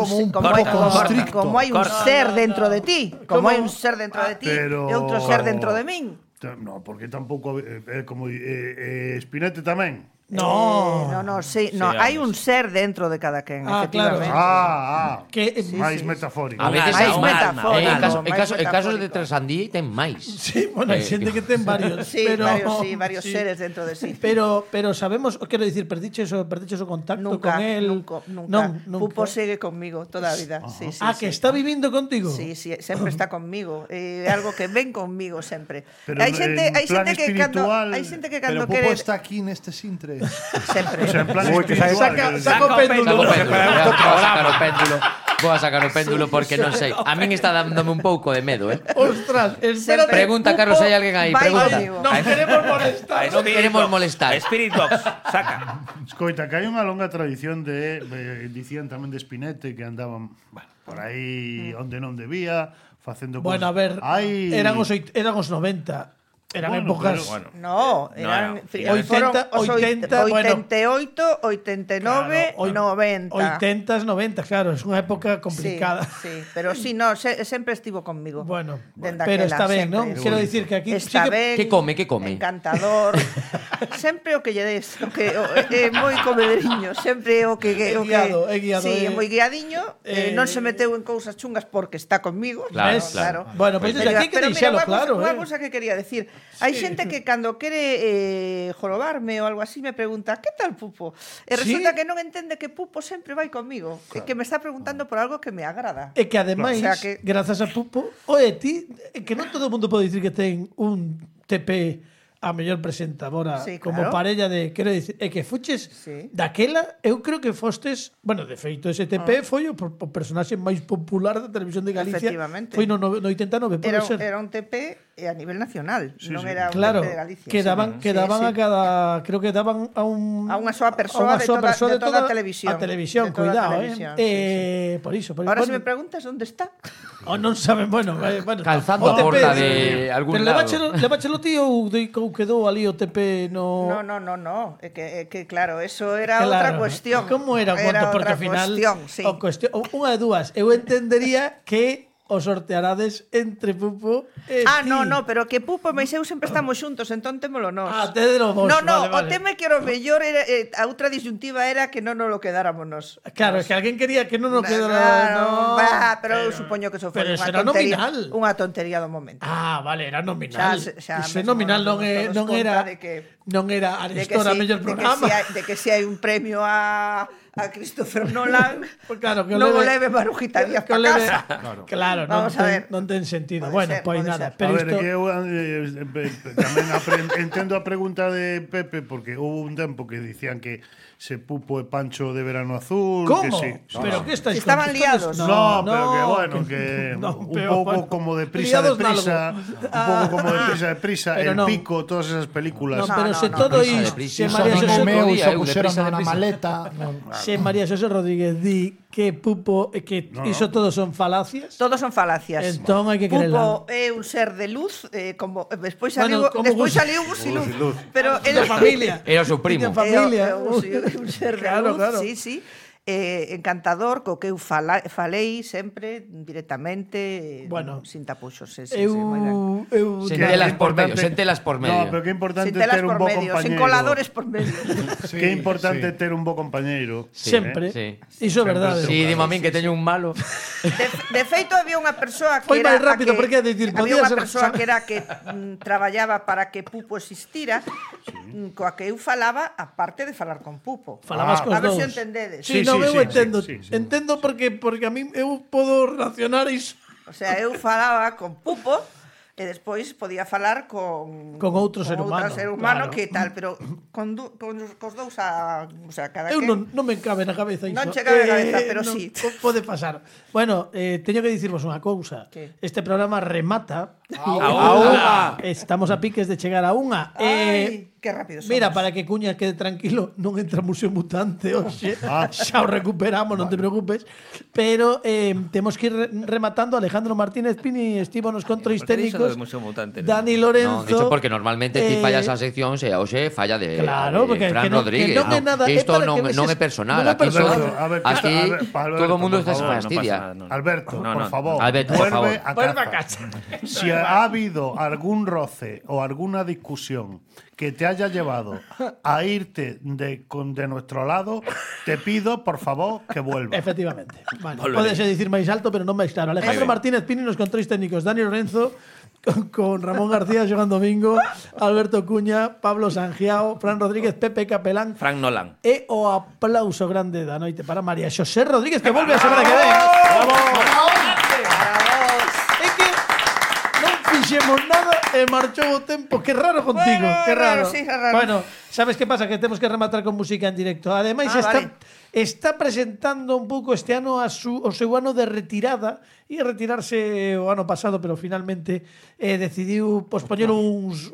un ser dentro de ti, como hai un ser dentro de ti e outro ser dentro de min. No, porque tampouco como Spinete tamén. No, sí, no, hai un ser dentro de cada quen, efectivamente. Que máis metafórico. A veces máis hai metafórico. En casos de Trasandí ten máis. Sí, bueno, hai xente que ten varios, sí, pero varios seres dentro de sí. Pero sabemos, quero dicir, perdiches o contacto nunca, con él? Nunca. Nunca. Pupo segue conmigo toda a vida. Sí, que está vivindo contigo. Sí, sempre está conmigo. É algo que ven conmigo sempre. Pero hai xente que cando Pero Pupo está aquí neste sintre. Sempre. O sea, en plan espiritual. Saca o péndulo. Vou a sacar o péndulo porque non sei. A min está dándome un pouco de medo, Ostras, espérate. Pregunta, Carlos, hai alguén aí? Pregunta. Non queremos molestar. Non queremos molestar. Spirit Box, saca. Escoita, que hai unha longa tradición dicían tamén de Spinete que andaban, bueno, por aí onde non debía, facendo Bueno, a ver, eran os 90. Eran épocas... No, eran 80, 88, 89, 90. 80, 90, claro, es unha época complicada. Sí, pero sí, no, sempre estivo conmigo. Bueno, pero está ben, non? Quero dicir que aquí está ben. Que come? Encantador. Sempre o que lle des, é moi comederiño, sempre o que é guiado. Sí, é moi guiadiño, non se meteu en cousas chungas porque está conmigo. Claro. Bueno, pois aquí que deixalo claro, Unha cousa que quería decir. Hai xente que cando quere jorobarme ou algo así me pregunta "Que tal Pupo?" E resulta que non entende que Pupo sempre vai comigo, que me está preguntando por algo que me agrada. E que ademais, grazas a Pupo, ti, que non todo o mundo pode dicir que ten un TP a mellor presentadora como parella de, quero dicir, que fuches daquela, eu creo que fostes, bueno, de feito ese TP foi o personaxe máis popular da televisión de Galicia. Foi no 89, pode ser. Era un TP a nivel nacional, non era un TP de Galicia. Quedaban a cada, creo que daban a unha soa persoa de toda a televisión. A televisión, cuidado, por iso. Ahora se me preguntas onde está. Non saben, bueno, calzando a porta de algún lado. Pero leváchelo tío ou quedou ali o TP no... No, é que claro, eso era outra cuestión. Como era o conto? Porque ao final unha de dúas, eu entendería que o sortearades entre Pupo e ti. No, pero que Pupo e eu sempre estamos xuntos, entón témolo nós. Tédelo vos, No, vale. o tema é que o mellor era, a outra disyuntiva era que non nos lo quedáramos nós. Claro, es que alguén quería que non nos quedara... Claro, pero eu supoño que eso foi pero unha será tontería, nominal. unha tontería do momento. Vale, era nominal. Xa Iso é nominal, non era Arestor a mellor programa. De que se hai un premio a Christopher Nolan, Pues claro, que non o leve Marujita Díaz pa casa. Claro, non ten sentido. Bueno, pois nada. Pero a ver, isto... que eu tamén entendo a pregunta de Pepe, porque houve un tempo que dicían que se Pupo e Pancho de Verano Azul. ¿Cómo? Que sí. ¿Pero qué estáis Estaban liados. No, pero que bueno, que un pouco como de prisa, un pouco como de prisa, El Pico, todas esas películas. Pero se todo iso, se María Xosé Romeo puxeron na maleta. Se María Xosé Rodríguez di que Pupo que iso todo son falacias. Todos son falacias. Entón hai que creerla. Pupo é un ser de luz, como despois Bueno, saliu Gusiluz, pero de familia. Era o seu primo. De familia. Un ser de luz, sí. Encantador, co que eu falei sempre directamente, sin tapuxos. Sentelas por medio. No, pero que importante ter un bo compañeiro. Sen coladores por medio. Que importante ter un bo compañeiro. Sempre. Iso é verdade. Si, dimo a min que teño un malo. De feito, había unha persoa que foi máis rápido, porque decir, había unha persoa que era que traballaba para que Pupo existira, coa que eu falaba, aparte de falar con Pupo. Falabas cos dous. A ver se entendedes. Sí, eu entendo. Entendo porque a mí eu podo relacionar iso. O sea, eu falaba con Pupo e despois podía falar con outro ser humano, claro. Que tal, pero cos dous o sea, cada eu non me cabe na cabeza iso. Non che cabe na cabeza, pero sí. Pode pasar. Bueno, teño que dicirvos unha cousa. Este programa remata estamos a piques de chegar a unha. Que rápido somos. Mira, para que Cuña quede tranquilo, non entra Museo Mutante hoxe. Xa o recuperamos, non te preocupes. Pero temos que ir rematando. Alejandro Martínez Pini estivo nos controis técnicos. Dani Lorenzo. No, dicho porque normalmente ti fallas a sección e hoxe falla de Fran Rodríguez. Isto non é personal. Aquí todo o mundo está fastidia. Alberto, por favor, vuelve a casa. Si ha habido algún roce o alguna discusión que te haya llevado a irte de nuestro lado, te pido, por favor, que vuelvas. Efectivamente. Bueno, podese dicir máis alto, pero non máis claro. Alejandro Martínez Pini nos controis técnicos. Dani Lorenzo con Ramón García, Xoán Domingo, Alberto Cuña, Pablo Sangiao, Fran Rodríguez, Pepe Capelán, Fran Nolan. E o aplauso grande da noite para María Xosé Rodríguez, que volve a semana que ven. É que non fixemos nada e marchou o tempo. Que raro contigo, que raro. Sí, raro. Bueno, sabes que pasa? Que temos que rematar con música en directo. Ademais, está presentando un pouco este ano o seu ano de retirada. Ia retirarse o ano pasado, pero finalmente decidiu pospoñer uns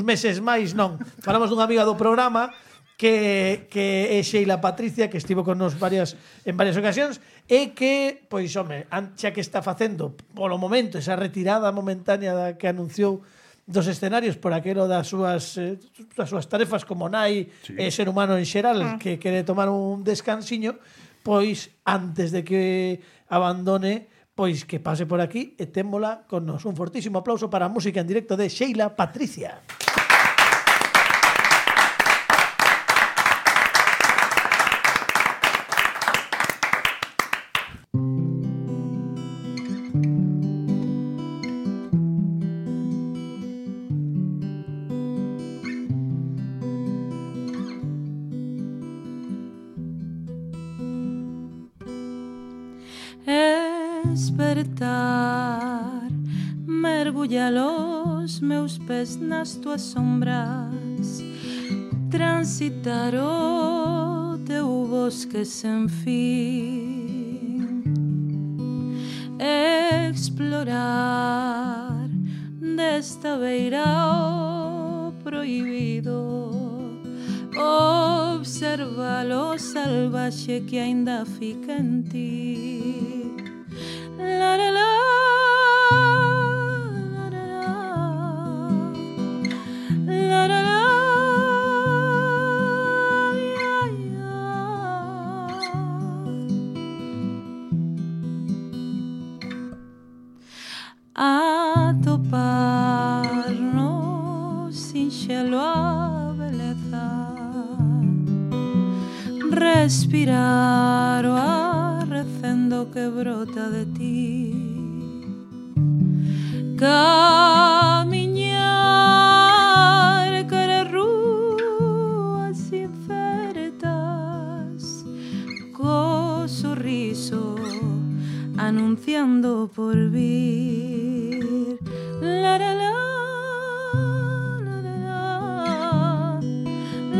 meses máis. Non, falamos dunha amiga do programa que é Sheila Patricia, que estivo con nos en varias ocasións, e que, pois, home, xa que está facendo polo momento esa retirada momentánea que anunciou dos escenarios por aquelo das súas tarefas como nai e ser humano en xeral, que quere tomar un descansiño, pois antes de que abandone, pois que pase por aquí e témola con nos. Un fortísimo aplauso para a música en directo de Sheila Patricia. Despertar, mergulla los meus pés nas tuas sombras, transitar o teu bosque sen fin, explorar desta beira o prohibido, observa lo salvaxe que aínda fica en ti. La la la, la la la, la la la, ya ya. respirar o ar recendo que brota de ti. Camiñar cara rúas incertas, co sorriso anunciando por vir. La la la, la la la,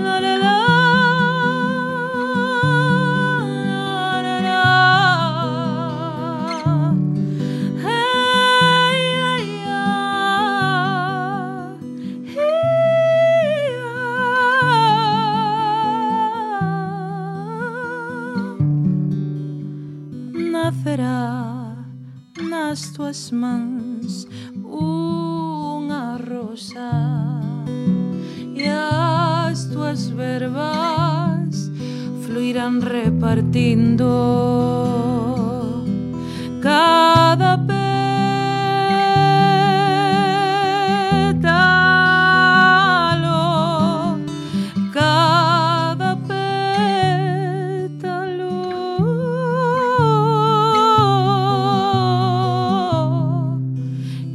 la la la. Nacerá nas tuas mans unha rosa e as tuas verbas fluirán repartindo cada pétalo, cada pétalo.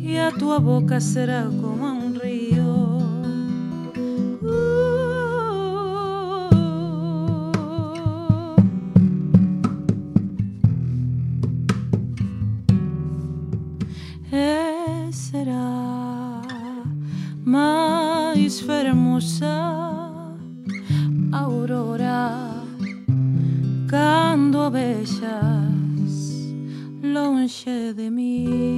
E a tua boca será como un río. E será máis fermosa aurora cando a vexas lonxe de mí.